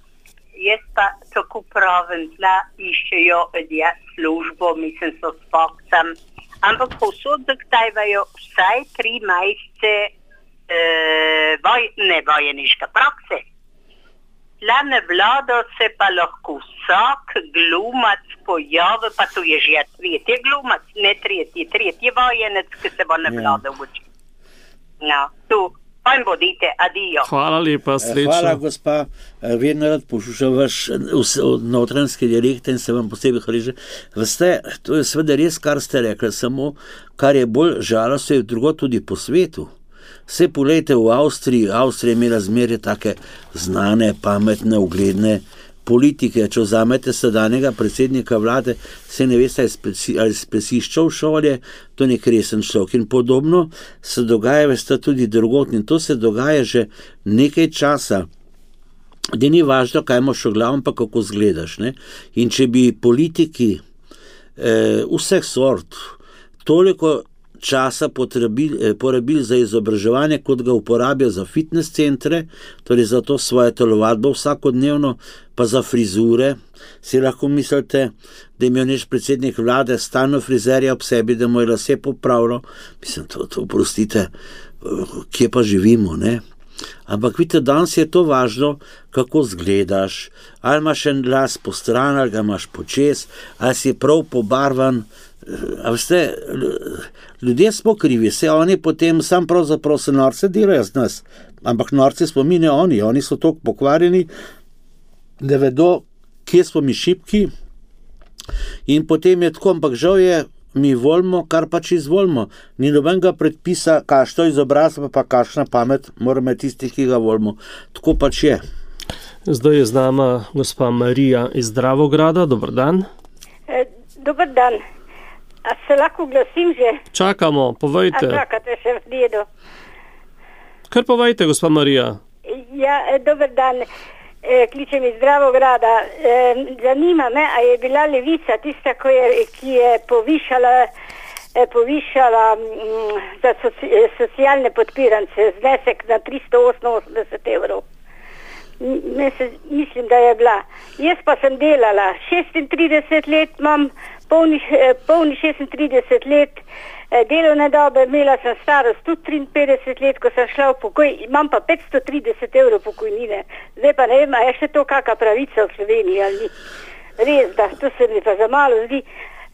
Jaz pa tako pravim, da iščejo ljudje službo, mislim, so s fakcem, ampak povsod zahtevajo vsaj tri mesece eh, voj, ne vojeniške prakse. La nevlada se pa lahko vsak glumac pojavi, pa to je že tretji glumac, ne tretji, tretji vojenec, ki se bo nevlada uči. No, tu. Pa jim bodite, adijo. Hvala lepa, srečno. Hvala, gospa. Vedno rad poslušam vaš notranjski dialekt in se vam posebej hvaležim. Veste, to je seveda res, kar ste rekli, samo kar je bolj žalostno, je drugo tudi po svetu. Vse poglejte v Avstriji, Avstrija je imela zmeraj take znane, pametne, ugledne politike. Če vzamete sedanjega predsednika vlade, se ne veste, ali spresiščal šolje, to nek resen človek. In podobno se dogaja, veste, tudi drugotni. In to se dogaja že nekaj časa. Da ni važno, kaj imaš v glavu, pa kako zgledaš. Ne? In če bi politiki eh, vseh sort toliko časa porabili, porabili za izobraževanje, kot ga uporabijo za fitness centre, torej za to svoje telovadbo vsakodnevno, pa za frizure. Si lahko mislite, da imajo naš predsednik vlade stalno frizerja ob sebi, da mu je lase popravilo. Mislim, to, to prostite, kje pa živimo, ne? Ampak vidite, danes je to važno, kako zgledaš, ali imaš en las po stran, ali ga imaš počez, ali si prav pobarvan. A veste, ljudje smo krivi, se oni potem sam pravzaprav se norce delajo z nas, ampak norce smo mi, ne oni, oni so toliko pokvarjeni, da vedo, kje smo mi šibki, in potem je tako, ampak žal je, mi volimo, kar pač izvolimo. Ni nobenega predpisa, kakšno izobrazba, pa kakšna pamet, moramo imeti tistih, ki ga volimo. Tako pač je. Zdaj je z nama gospa Marija iz Dravograda. Dober dan. E, dober dan. A se lahko glasim že? Čakamo, povejte. A čakate še v redu? Kar povejte, gospa Marija. Ja, dober dan. E, kličem iz Dravograda. E, zanima me, a je bila Levica tista, ko je, ki je povišala, e, povišala m, za soci, socialne podpirance znesek na tristo oseminosemdeset evrov. Mislim, da je bila. Jaz pa sem delala šestintrideset let, imam polni, polni šestintrideset let delovne dobe, imela sem starost tudi triinpetdeset let, ko sem šla v pokoj, imam pa petsto trideset evrov pokojnine. Zdaj pa ne vem, a je še to kakšna pravica v Sloveniji ali ni. Res, da to se mi pa za malo zdi.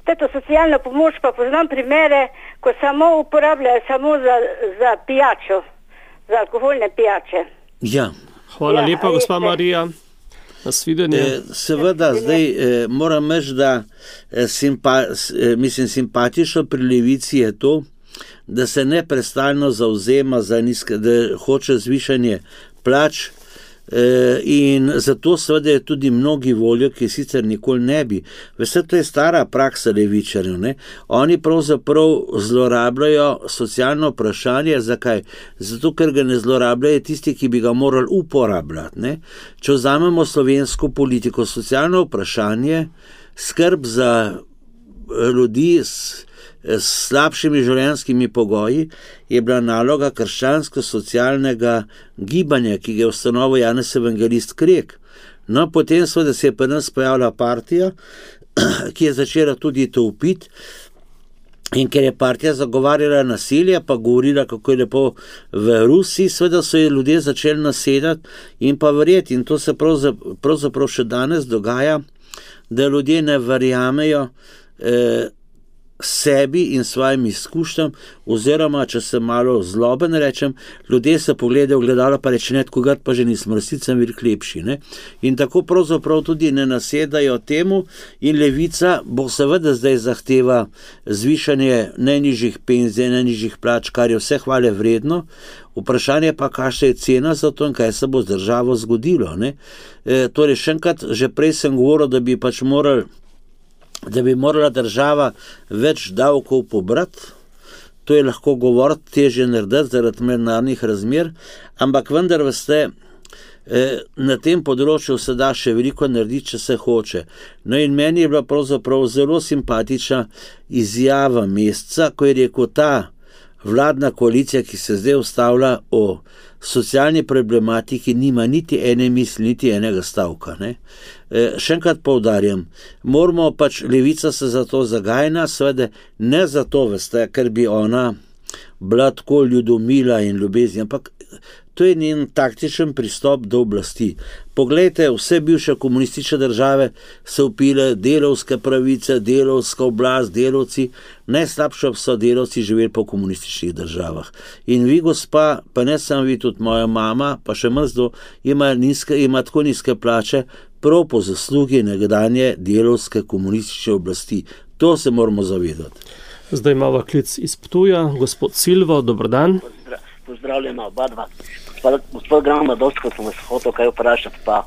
Tato socialno pomoč pa poznam primere, ko samo uporabljajo samo za, za pijačo, za alkoholne pijače. Ja. Hvala Ja, lepa, res gospa je. Marija. Nasvidenje. E, seveda, zdaj e, moram reči, da e, simpa, e, mislim, simpatično pri Levici je to, da se neprestano zauzema za nizke, da hoče zvišanje plač, e, in zato seveda je tudi mnogi volijo, ki sicer nikoli ne bi. Veste, to je stara praksa levičarjev, ne? Oni pravzaprav zlorabljajo socialno vprašanje. Zakaj? Zato, ker ga ne zlorabljajo tisti, ki bi ga morali uporabljati, ne? Če vzamemo slovensko politiko, socialno vprašanje, skrb za ljudi s s slabšimi življenjskimi pogoji, je bila naloga krščansko-socialnega gibanja, ki ga je ustanovil Janez Evangelist Krek. No, potem seveda se je pri nas pojavila partija, ki je začela tudi to upiti, in ker je partija zagovarjala nasilje, pa govorila, kako je lepo v Rusiji, seveda so je ljudje začeli nasedati in pa verjeti. In to se pravzaprav, pravzaprav še danes dogaja, da ljudje ne verjamejo eh, sebi in svojim izkušnjam, oziroma, če se malo zloben rečem, ljudje se pogledajo v gledalo, pa reče, ne, kogar pa že nisem, resnicam veliko lepši, ne? In tako pravzaprav tudi ne nasedajo temu, in Levica bo seveda zdaj zahteva zvišanje najnižjih penzij, najnižjih plač, kar je vse hvale vredno. Vprašanje pa, kakšna je cena za to in kaj se bo z državo zgodilo, ne? E, torej, še enkrat, že prej sem govoril, da bi pač morali da bi morala država več davkov pobrati. To je lahko govoriti, težje narediti zaradi mednarodnih razmer, ampak vendar, veste, na tem področju se da še veliko narediti, če se hoče. No, in meni je bila pravzaprav zelo simpatična izjava Mesca, ko je rekel ta vladna koalicija, ki se zdaj ustavlja o socialni problematiki, nima niti ene misli, niti enega stavka. Ne? E, še enkrat poudarjam, moramo pač, levica se za to zagajna, seveda ne zato, veste, ker bi ona bila tako ljudomila in ljubezni, ampak to je njen taktičen pristop do oblasti. Poglejte, vse bivše komunistične države so upile delovske pravice, delovska oblast, delovci, najslabše so delovci živeli po komunističnih državah. In vi, gospa, pa ne samo vi, tudi moja mama, pa še mrzdo, ima, nizke, ima tako nizke plače, prav po zaslugi nekdanje delovske komunistične oblasti. To se moramo zavedati. Zdaj imamo klic iz Ptuja, gospod Silvo, dober dan. Pozdravljena oba dva. Gospod, gospod Grama, dosti, ko sem vas hotel kaj vprašati, pa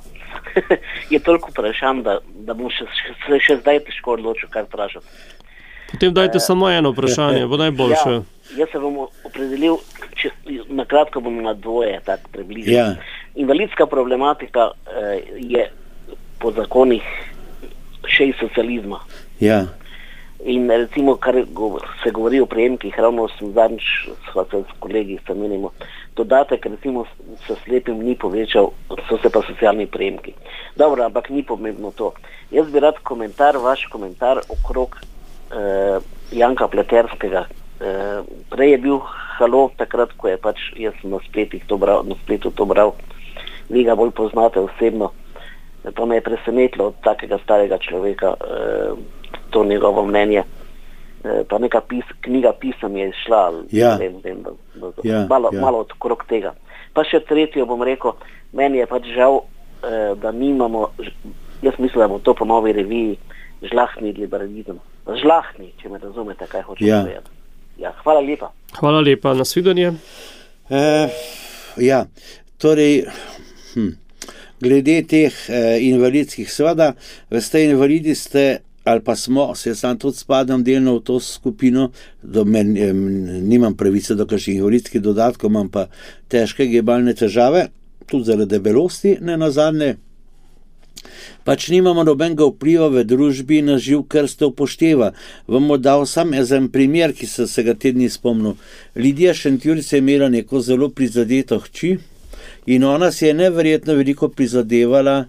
je toliko vprašanj, da, da bom še, še, še zdaj težko odločil, kaj vprašati. Potem dajte e, samo eno vprašanje, bo najboljše. Ja, jaz se bom opredelil, če, na kratko bom na dvoje, tako približno. Ja. Invalidska problematika eh, je po zakonih še iz socializma. Ja. In recimo, kar se govori o prejemkih, ravno sem zadnjič s kolegi menimo, dodatek recimo s slepim ni povečal, so se pa socialni prejemki. Dobro, ampak ni pomembno to. Jaz bi rad komentar, vaš komentar okrog eh, Janka Pleterskega. Eh, prej je bil halo, takrat, ko je pač, jaz sem na spletih to bral, na spletu to bral, vi ga bolj poznate osebno, pa me je presenetilo od takega starega človeka, eh, to njegovo mnenje, pa neka pis, knjiga pisem je šla, ja. vem, vem, da, da, ja, malo, ja. malo odkrog tega. Pa še tretjo bom rekel, meni je pač žal, da nimamo, jaz mislim, da bo to po novi reviji žlahtni liberalizem. Žlahtni, če me razumete, kaj hočem ja. povedati. Ja, hvala lepa. Hvala lepa, nasvidenje. E, ja, torej, hm, glede teh eh, invalidskih, seveda, veste, invalidi ste, ali pa smo, se jaz sam tudi spadam delno v to skupino, do men, eh, nimam pravice do kakšnih invalidskih dodatkov, imam pa težke gibalne težave, tudi zaradi debelosti, ne nazadnje. Pač nimamo nobenega vpliva v družbi na živ krst upošteva. Vam bom dal sam en primer, ki sem se ga te dni spomnil. Lidija Šentjurica je imela neko zelo prizadeto hči in ona si je neverjetno veliko prizadevala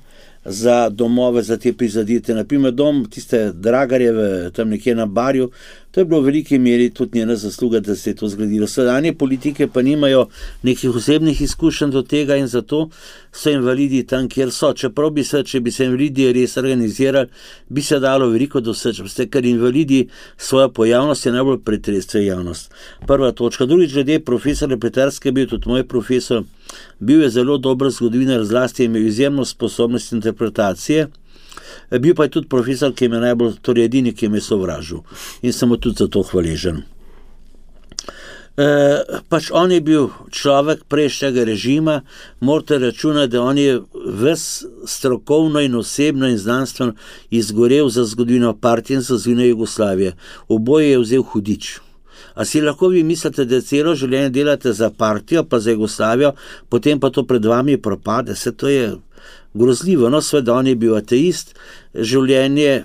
za domove, za te prizadete. Naprimer dom tiste Dragarjeve, tam nekje na Barju, to je bilo v veliki meri tudi njena zasluga, da se je to zgradilo. Sedanje politike pa nimajo nekih osebnih izkušenj do tega in zato so invalidi tam, kjer so. Čeprav bi se, če bi se invalidi res organizirali, bi se dalo veliko doseči, ker invalidi svojo pojavnost je najbolj pretresuje javnost. Prva točka. Drugič, glede profesora Pleterske, bil tudi moj profesor, bil je zelo dober zgodovinar, zlasti je imel izjemno sposobnost interpretacije. Bil pa je tudi profesor, ki je me najbolj, torej edini, ki je me sovražil. In sem mu tudi za to hvaležen. E, pač on je bil človek prejšnjega režima, morate računati, da on je ves strokovno in osebno in znanstveno izgorel za zgodovino partije in za zgodovino Jugoslavije. Oboje je vzel hudič. A si lahko vi mislite, da celo življenje delate za partijo, pa za Jugoslavijo, potem pa to pred vami propade? Se to je grozljivo. No, sveda on je bil ateist, življenje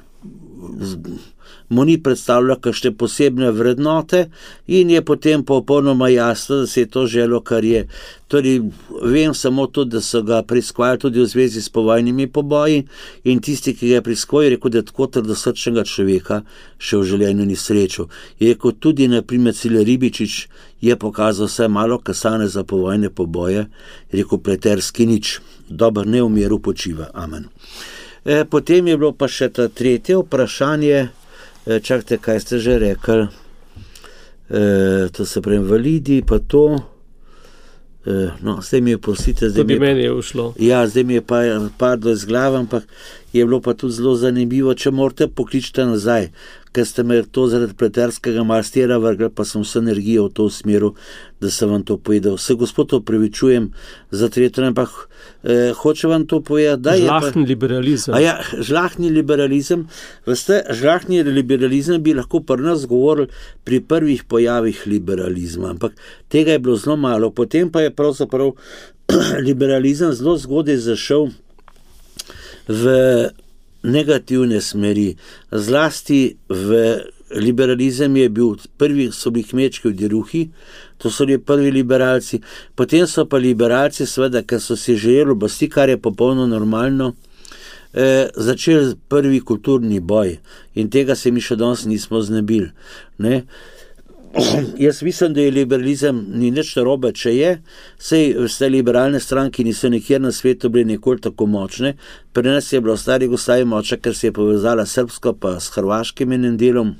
mu ni predstavljalo kakšne posebne vrednote in je potem popolnoma jasno, da se je to želo, kar je. Torej, vem samo to, da so ga preiskovali tudi v zvezi s povojnimi poboji in tisti, ki ga je preiskoval, je rekel, da tako trdosrčnega človeka še v življenju ni srečal. Je rekel tudi, naprimer, Cile Ribičič je pokazal vse malo kasane za povojne poboje, je rekel Pleterski nič, dober ne v miru počiva, amen. E, potem je bilo pa še ta tretje vprašanje, e, čakajte, kaj ste že rekli, e, to se pravi invalidi, pa to, e, no, zdaj mi je prosite, zdaj tudi mi je, meni je ušlo. Ja, zdaj mi je pa padlo iz glave, ampak je bilo pa tudi zelo zanimivo, če morate pokličiti nazaj, ker ste me to zaradi Pleterskega malo stera vrgli, pa sem vse energijo v to smeru, da sem vam to povedal. Se gospod opravičujem za tretjo, ampak eh, hoče vam to povedati, da je žlahni liberalizem. A ja, žlahni liberalizem. Veste, žlahni liberalizem bi lahko pri nas govorili pri prvih pojavih liberalizma, ampak tega je bilo zelo malo. Potem pa je pravzaprav liberalizem zelo zgodaj zašel v negativne smeri, zlasti v liberalizem je bil, prvi so bili kmečki odjeruhi, to so bili prvi liberalci, potem so pa liberalci, seveda, ker so si želeli oblasti, kar je popolno normalno, eh, začeli prvi kulturni boj in tega se mi še danes nismo znebili. Ne? Jaz mislim, da je liberalizem ni nič narobe, če je, sej vse liberalne stranke niso nikjer na svetu bili nikoli tako močne, pri nas je bilo v stari Jugoslaviji močna, ker se je povezala srbsko pa s hrvaškim enim delom,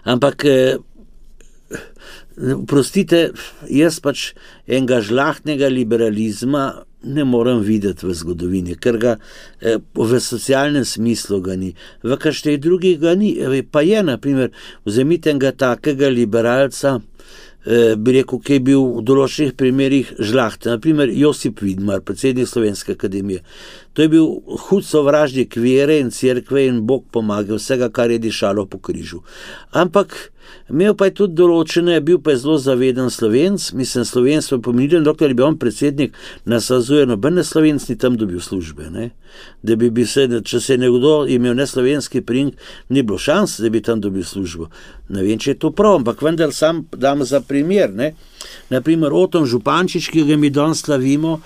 ampak eh, prostite, jaz pač enega žlahtnega liberalizma ne morem videti v zgodovini, ker ga eh, v socialnem smislu ga ni, v kakšnih drugih ga ni, pa je, naprimer, vzemite enega takega liberalca, eh, bi rekel, ki je bil v določenih primerih žlahten, naprimer Josip Vidmar, predsednik Slovenske akademije. To je bil hud sovražnik vere in cerkve in Bog pomaga vsega, kar je dišalo po križu. Ampak imel pa je tudi določene, bil pa je zelo zaveden Slovenc, mislim, slovenstvo je pomenilo, dokler je bil on predsednik, nasazuje nobene Slovenc ni tam dobil službe, ne? Da bi, bi se, če se je nekdo imel neslovenski pring, ni bilo šans, da bi tam dobil službo. Ne vem, če je to prav, ampak vendar sam dam za primer, ne? Naprimer, Oton Župančič, ki ga mi danes slavimo,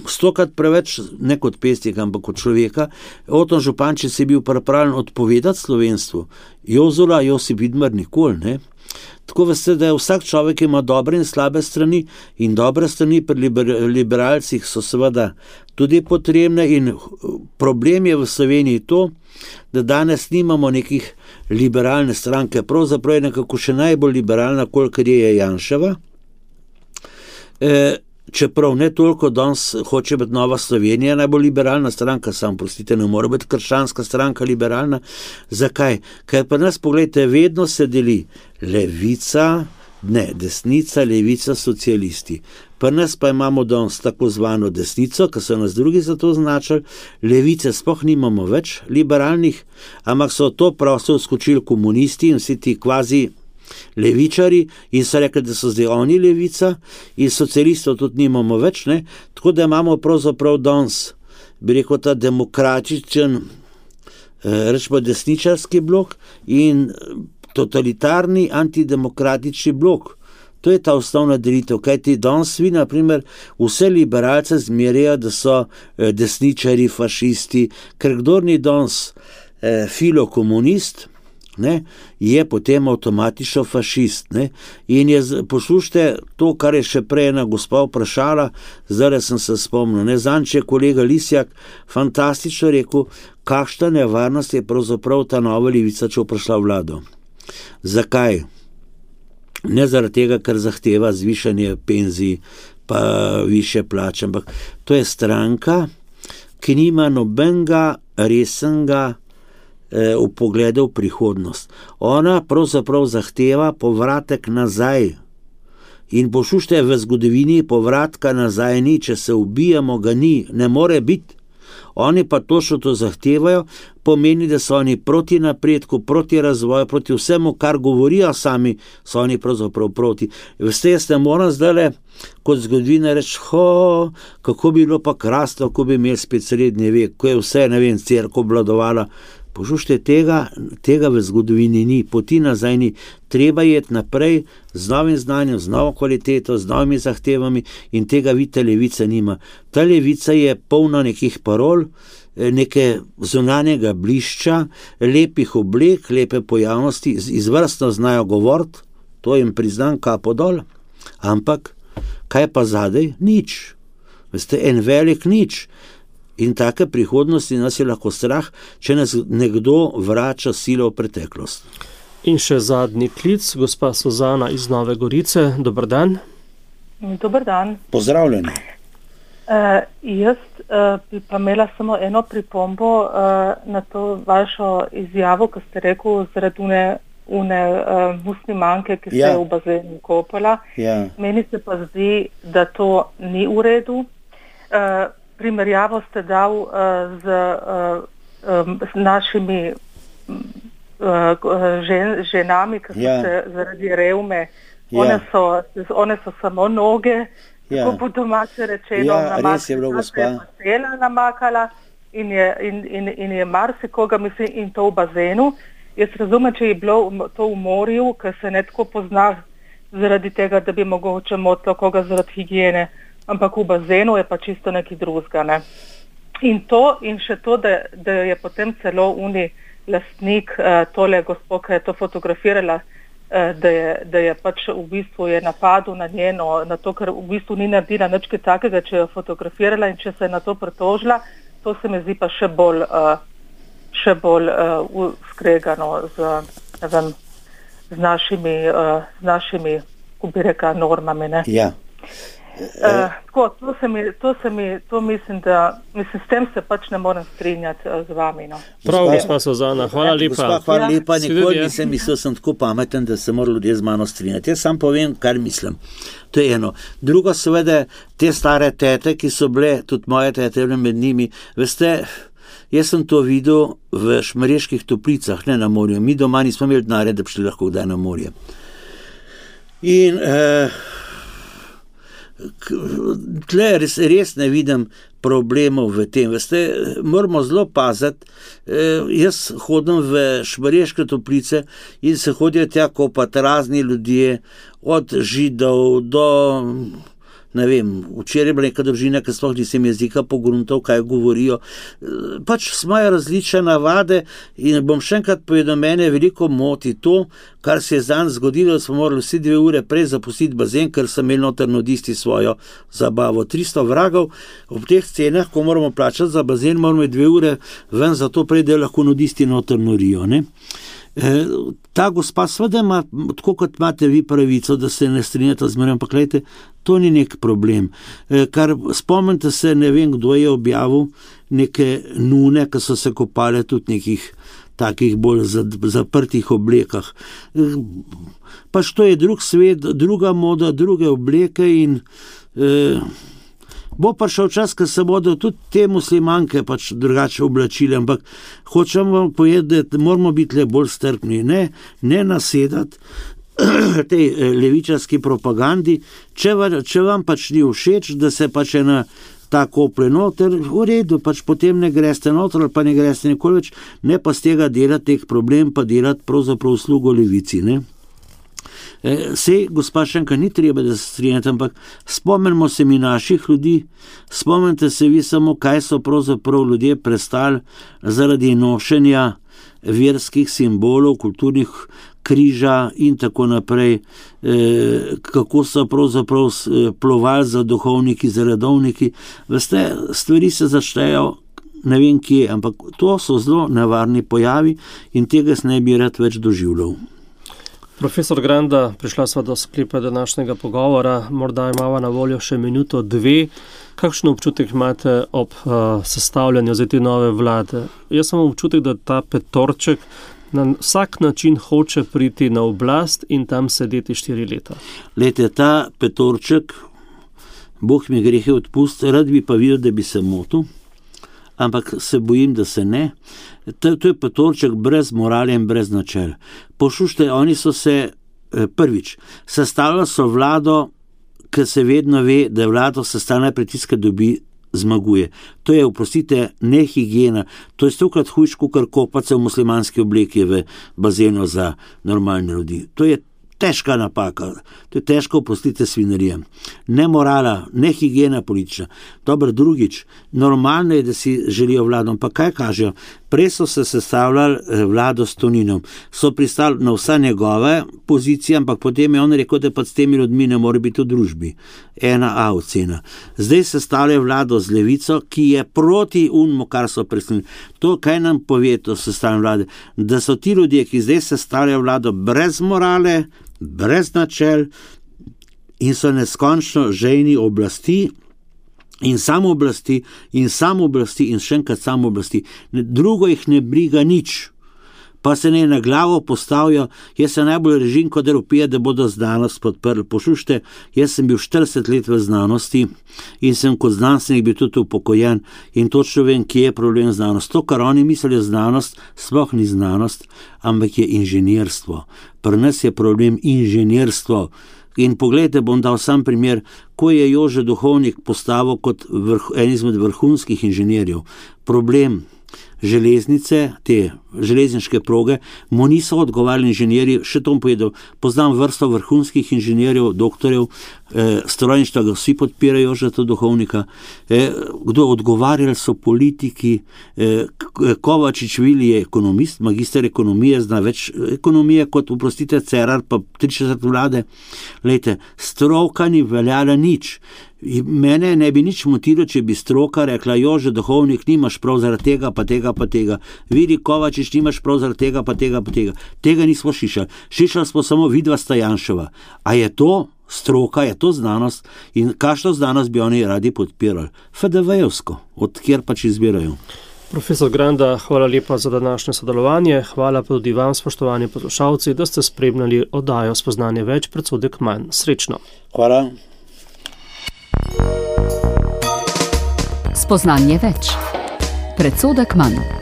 stokrat preveč, ne kot pesnik, ampak kot človeka, Oton Župančič je bil pripravljen odpovedati slovenstvu, Jozola, Josip Vidmar nikoli, ne. Tako veste, da vsak človek ima dobre in slabe strani in dobre strani pri liber, liberalcih so seveda tudi potrebne in problem je v Sloveniji to, da danes nimamo nekih liberalne stranke, pravzaprav je nekako še najbolj liberalna, kolikor je Janševa, e, čeprav ne toliko danes hoče biti Nova Slovenija najbolj liberalna stranka, sam prostite, ne more biti krščanska stranka liberalna. Zakaj? Ker pa nas, pogledajte, vedno se deli levica, ne, desnica, levica, socialisti. Pri nas pa imamo danes tako zvano desnico, ki so nas drugi za to označili, levice sploh nimamo več liberalnih, ampak so to prosto skočili komunisti in vsi ti kvazi levičari in so rekli, da so zdaj oni levica in socialistov tudi nimamo več, ne? Tako da imamo pravzaprav danes, bi rekel, ta demokratičen, eh, rečemo desničarski blok in totalitarni antidemokratični blok. To je ta osnovna delitev, kajti danes vi, na primer, vse liberalce zmerjajo, da so eh, desničari, fašisti, ker kdor ni danes eh, filokomunist, ne, je potem avtomatično fašist. Ne? In je, poslušajte to, kar je še prej ena gospa vprašala, zdaj sem se spomnil, ne, zanč je kolega Lisjak fantastično rekel, kakšna nevarnost je pravzaprav ta nova levica, če bo prišla v vlado. Zakaj? Ne zaradi tega, ker zahteva zvišanje penzij, pa više plače, ampak to je stranka, ki nima nobenega resnega v pogledu v prihodnost. Ona pravzaprav zahteva povratek nazaj. In poslušajte, v zgodovini povratka nazaj ni, če se ubijamo, ga ni, ne more biti. Oni pa točno to zahtevajo, pomeni, da so oni proti napredku, proti razvoju, proti vsemu, kar govorijo sami, so oni pravzaprav proti. Veste, jaz ne moram zdajle kot zgodovina reči, ho, kako bi bilo pa krasno, ko bi imeli spet srednji vek, ko je vse, ne vem, cerkev obvladovala. Poslušajte, tega, tega v zgodovini ni, poti nazaj ni. Treba je naprej z novim znanjem, z novo kvaliteto, z novimi zahtevami in tega vidite, levica nima. Ta levica je polna nekih parol, neke zunanjega blišča, lepih oblek, lepe pojavnosti, izvrstno znajo govoriti, to jim priznam kapo dol, ampak kaj pa zadaj? Nič. Veste, en velik nič. In take prihodnosti nas je lahko strah, če nas nekdo vrača silo v preteklost. In še zadnji klic, gospa Suzana iz Nove Gorice. Dober dan. Dober dan. Pozdravljeni. Uh, jaz uh, bi pa imela samo eno pripombo uh, na to vašo izjavo, ko ste rekel zaradi une, une uh, muslimanke, ki ja. se je v bazenu kopala. Ja. Meni se pa zdi, da to ni v redu. Uh, Primerjavo ste dal uh, z, uh, um, z našimi uh, žen, ženami, ki so ja. se zaradi revme, ja. one, so, one so samo noge, ja. tako po domače rečeno, ja, namakala, se je pasela namakala in je, in, in, in je marsikoga, mislim, in to v bazenu. jaz razumem, če je bilo to v morju, ker se ne tako pozna zaradi tega, da bi mogoče motilo koga zaradi higiene, ampak v bazenu je pa čisto nekaj drugega. Ne? In to, in še to, da, da je potem celo uni lastnik uh, tole gospod, ki je to fotografirala, uh, da, je, da je pač v bistvu je napadel na njeno, na to, ker v bistvu ni naredila nič takega, če je fotografirala in če se je na to pritožila, to se mi zdi pa še bolj, uh, še bolj uh, skregano z, ne vem, z našimi, uh, z našimi, ko bi rekla, normami. Ne? Ja. Uh, tako, to, se mi, to, se mi, to mislim, da mislim, s tem se pač ne morem strinjati uh, z vami. No. Prav, gospa Suzana, hvala lepa. Gospa, hvala lepa, Ja. nikoli nisem mislil, sem tako pameten, da se morajo ljudje z mano strinjati. Jaz sam povem, kar mislim. To je eno. Drugo, seveda, te stare tete, ki so bile, tudi moje tete med njimi, veste, jaz sem to videl v Šmarjeških Toplicah, ne na morju. Mi doma nismo imeli denarja, da bi šli lahko kdaj na morje. In eh, tle res, res ne vidim problemov v tem. Veste, moramo zelo paziti. E, jaz hodim v Šmarješke Toplice in se hodijo tja kopati razni ljudje, od Židov do, ne vem, včeraj je bila neka družina, ki sploh nisem jezika pogruntal, kaj govorijo. E, pač imajo različne navade in bom še enkrat povedal, mene veliko moti to, kar se je zanj zgodilo, da smo morali vsi dve ure prej zapustiti bazen, ker so imeli noter nudisti svojo zabavo. tristo vragov, ob teh cenah, ko moramo plačati za bazen, moramo dve ure ven, zato prej, da lahko nudisti noter norijo. Ne? E, ta gospa sveda ima, tako kot imate vi pravico, da se ne strinjate z mano, ampak gledajte, to ni nek problem. E, kar spomnite se, ne vem, kdo je objavil neke nune, ki so se kopale tudi nekih takih bolj zaprtih oblekah. Pač to je drug svet, druga moda, druge obleke in eh, bo pa šel čas, ko se bodo tudi te muslimanke pač drugače oblačile, ampak hočem vam povedati, da moramo biti le bolj strpni, ne, ne nasedati tej levičarski propagandi, če, če vam pač ni všeč, da se pač ena tako plenoter, v redu, pač potem ne greste noter, ali pa ne greste nikoli več, ne pa z tega delati teh problem, pa delati pravzaprav uslugo levici, ne. E, sej, gospa Šenka, ni treba, da se strinjate, ampak spomnimo se mi naših ljudi, spomnite se vi samo, kaj so pravzaprav ljudje prestali zaradi nošenja verskih simbolov, kulturnih križa in tako naprej, e, kako so pravzaprav plovali za duhovniki, za redovniki. Veste, stvari se začnejo ne vem kje, ampak to so zelo nevarni pojavi in tega se ne bi rad več doživljal. Profesor Granda, prišla sva do sklepa današnjega pogovora, morda imava na voljo še minuto, dve. Kakšen občutek imate ob uh, sestavljanju za te nove vlade? Jaz sem občutek, da ta petorček na vsak način hoče priti na oblast in tam sedeti štiri leta. Lejte, ta petorček, Bog mi grehe odpusti, rad bi pa videl, da bi se motil, ampak se bojim, da se ne. To, to je petorček brez morale in brez načel. Poslušajte, oni so se prvič, sestavljali so vlado, ki se vedno ve, da je vlado sestavljena pritiska dobi zmaguje. To je, oprostite, ne higiena. To je stokrat hujš, kar kopati v muslimanski obleki v bazenu za normalne ljudi. To je težka napaka. To je težko, oprostite, svinarija. Ne morala, ne higiena politična. Dobro, drugič, normalno je, da si želijo vlado, pa kaj kažejo? Prej so se sestavljali vlado s Toninom. So pristali na vsa njegove pozicije, ampak potem je on rekel, da pa s temi ljudmi ne more biti v družbi. Ena A ocena. Zdaj sestavljajo vlado z levico, ki je proti unmu, kar so presnili. To, kaj nam pove to sestavljanje vlade? Da so ti ljudje, ki zdaj sestavljajo vlado brez morale, brez načel in so neskončno žejni oblasti in samo oblasti in samo oblasti in še enkrat samo oblasti. Drugo jih ne briga nič. Pa se ne na glavo postavijo, jaz se najbolj režim, kot Evropija, da bodo znanost podprli. Poslušajte, jaz sem bil štirideset let v znanosti in sem kot znanstvenik bil tudi upokojen in točno vem, kje je problem znanost. To, kar oni mislijo znanost, sploh ni znanost, ampak je inženirstvo. Pri nas je problem inženirstvo. In pogledajte, bom dal sam primer, ko je Jože Duhovnik postavil kot vrh, en izmed vrhunskih inženirjev. Problem, železnice, te železniške proge, mu niso odgovarjali inženirji, še to bom povedal, poznam vrsto vrhunskih inženirjev, doktorjev, eh, strojništva ga vsi podpirajo, Jožeta Duhovnika, eh, kdo odgovarjali so politiki, eh, Kovačič Vili je ekonomist, magister ekonomije, zna več ekonomije kot, oprostite, Cerar, pa trideset vlade. Lejte, stroka ni veljala nič. Mene ne bi nič motilo, če bi stroka rekla, Jože Duhovnik, nimaš prav zaradi tega, pa tega, pa tega. Vili Kovačič, nimaš prav zaradi tega, pa tega, pa tega. Tega nismo šišali. Šišali smo samo vidva Stajanševa. A je to stroka, je to znanost in kakšno znanost bi oni radi podpirali? F D V-jevsko, od kjer pač izbirajo. Profesor Granda, hvala lepa za današnje sodelovanje. Hvala pa tudi vam, spoštovani poslušalci, da ste spremljali oddajo Spoznanje več, predsodek manj. Srečno. Hvala. Spoznanje več, predsodek manj.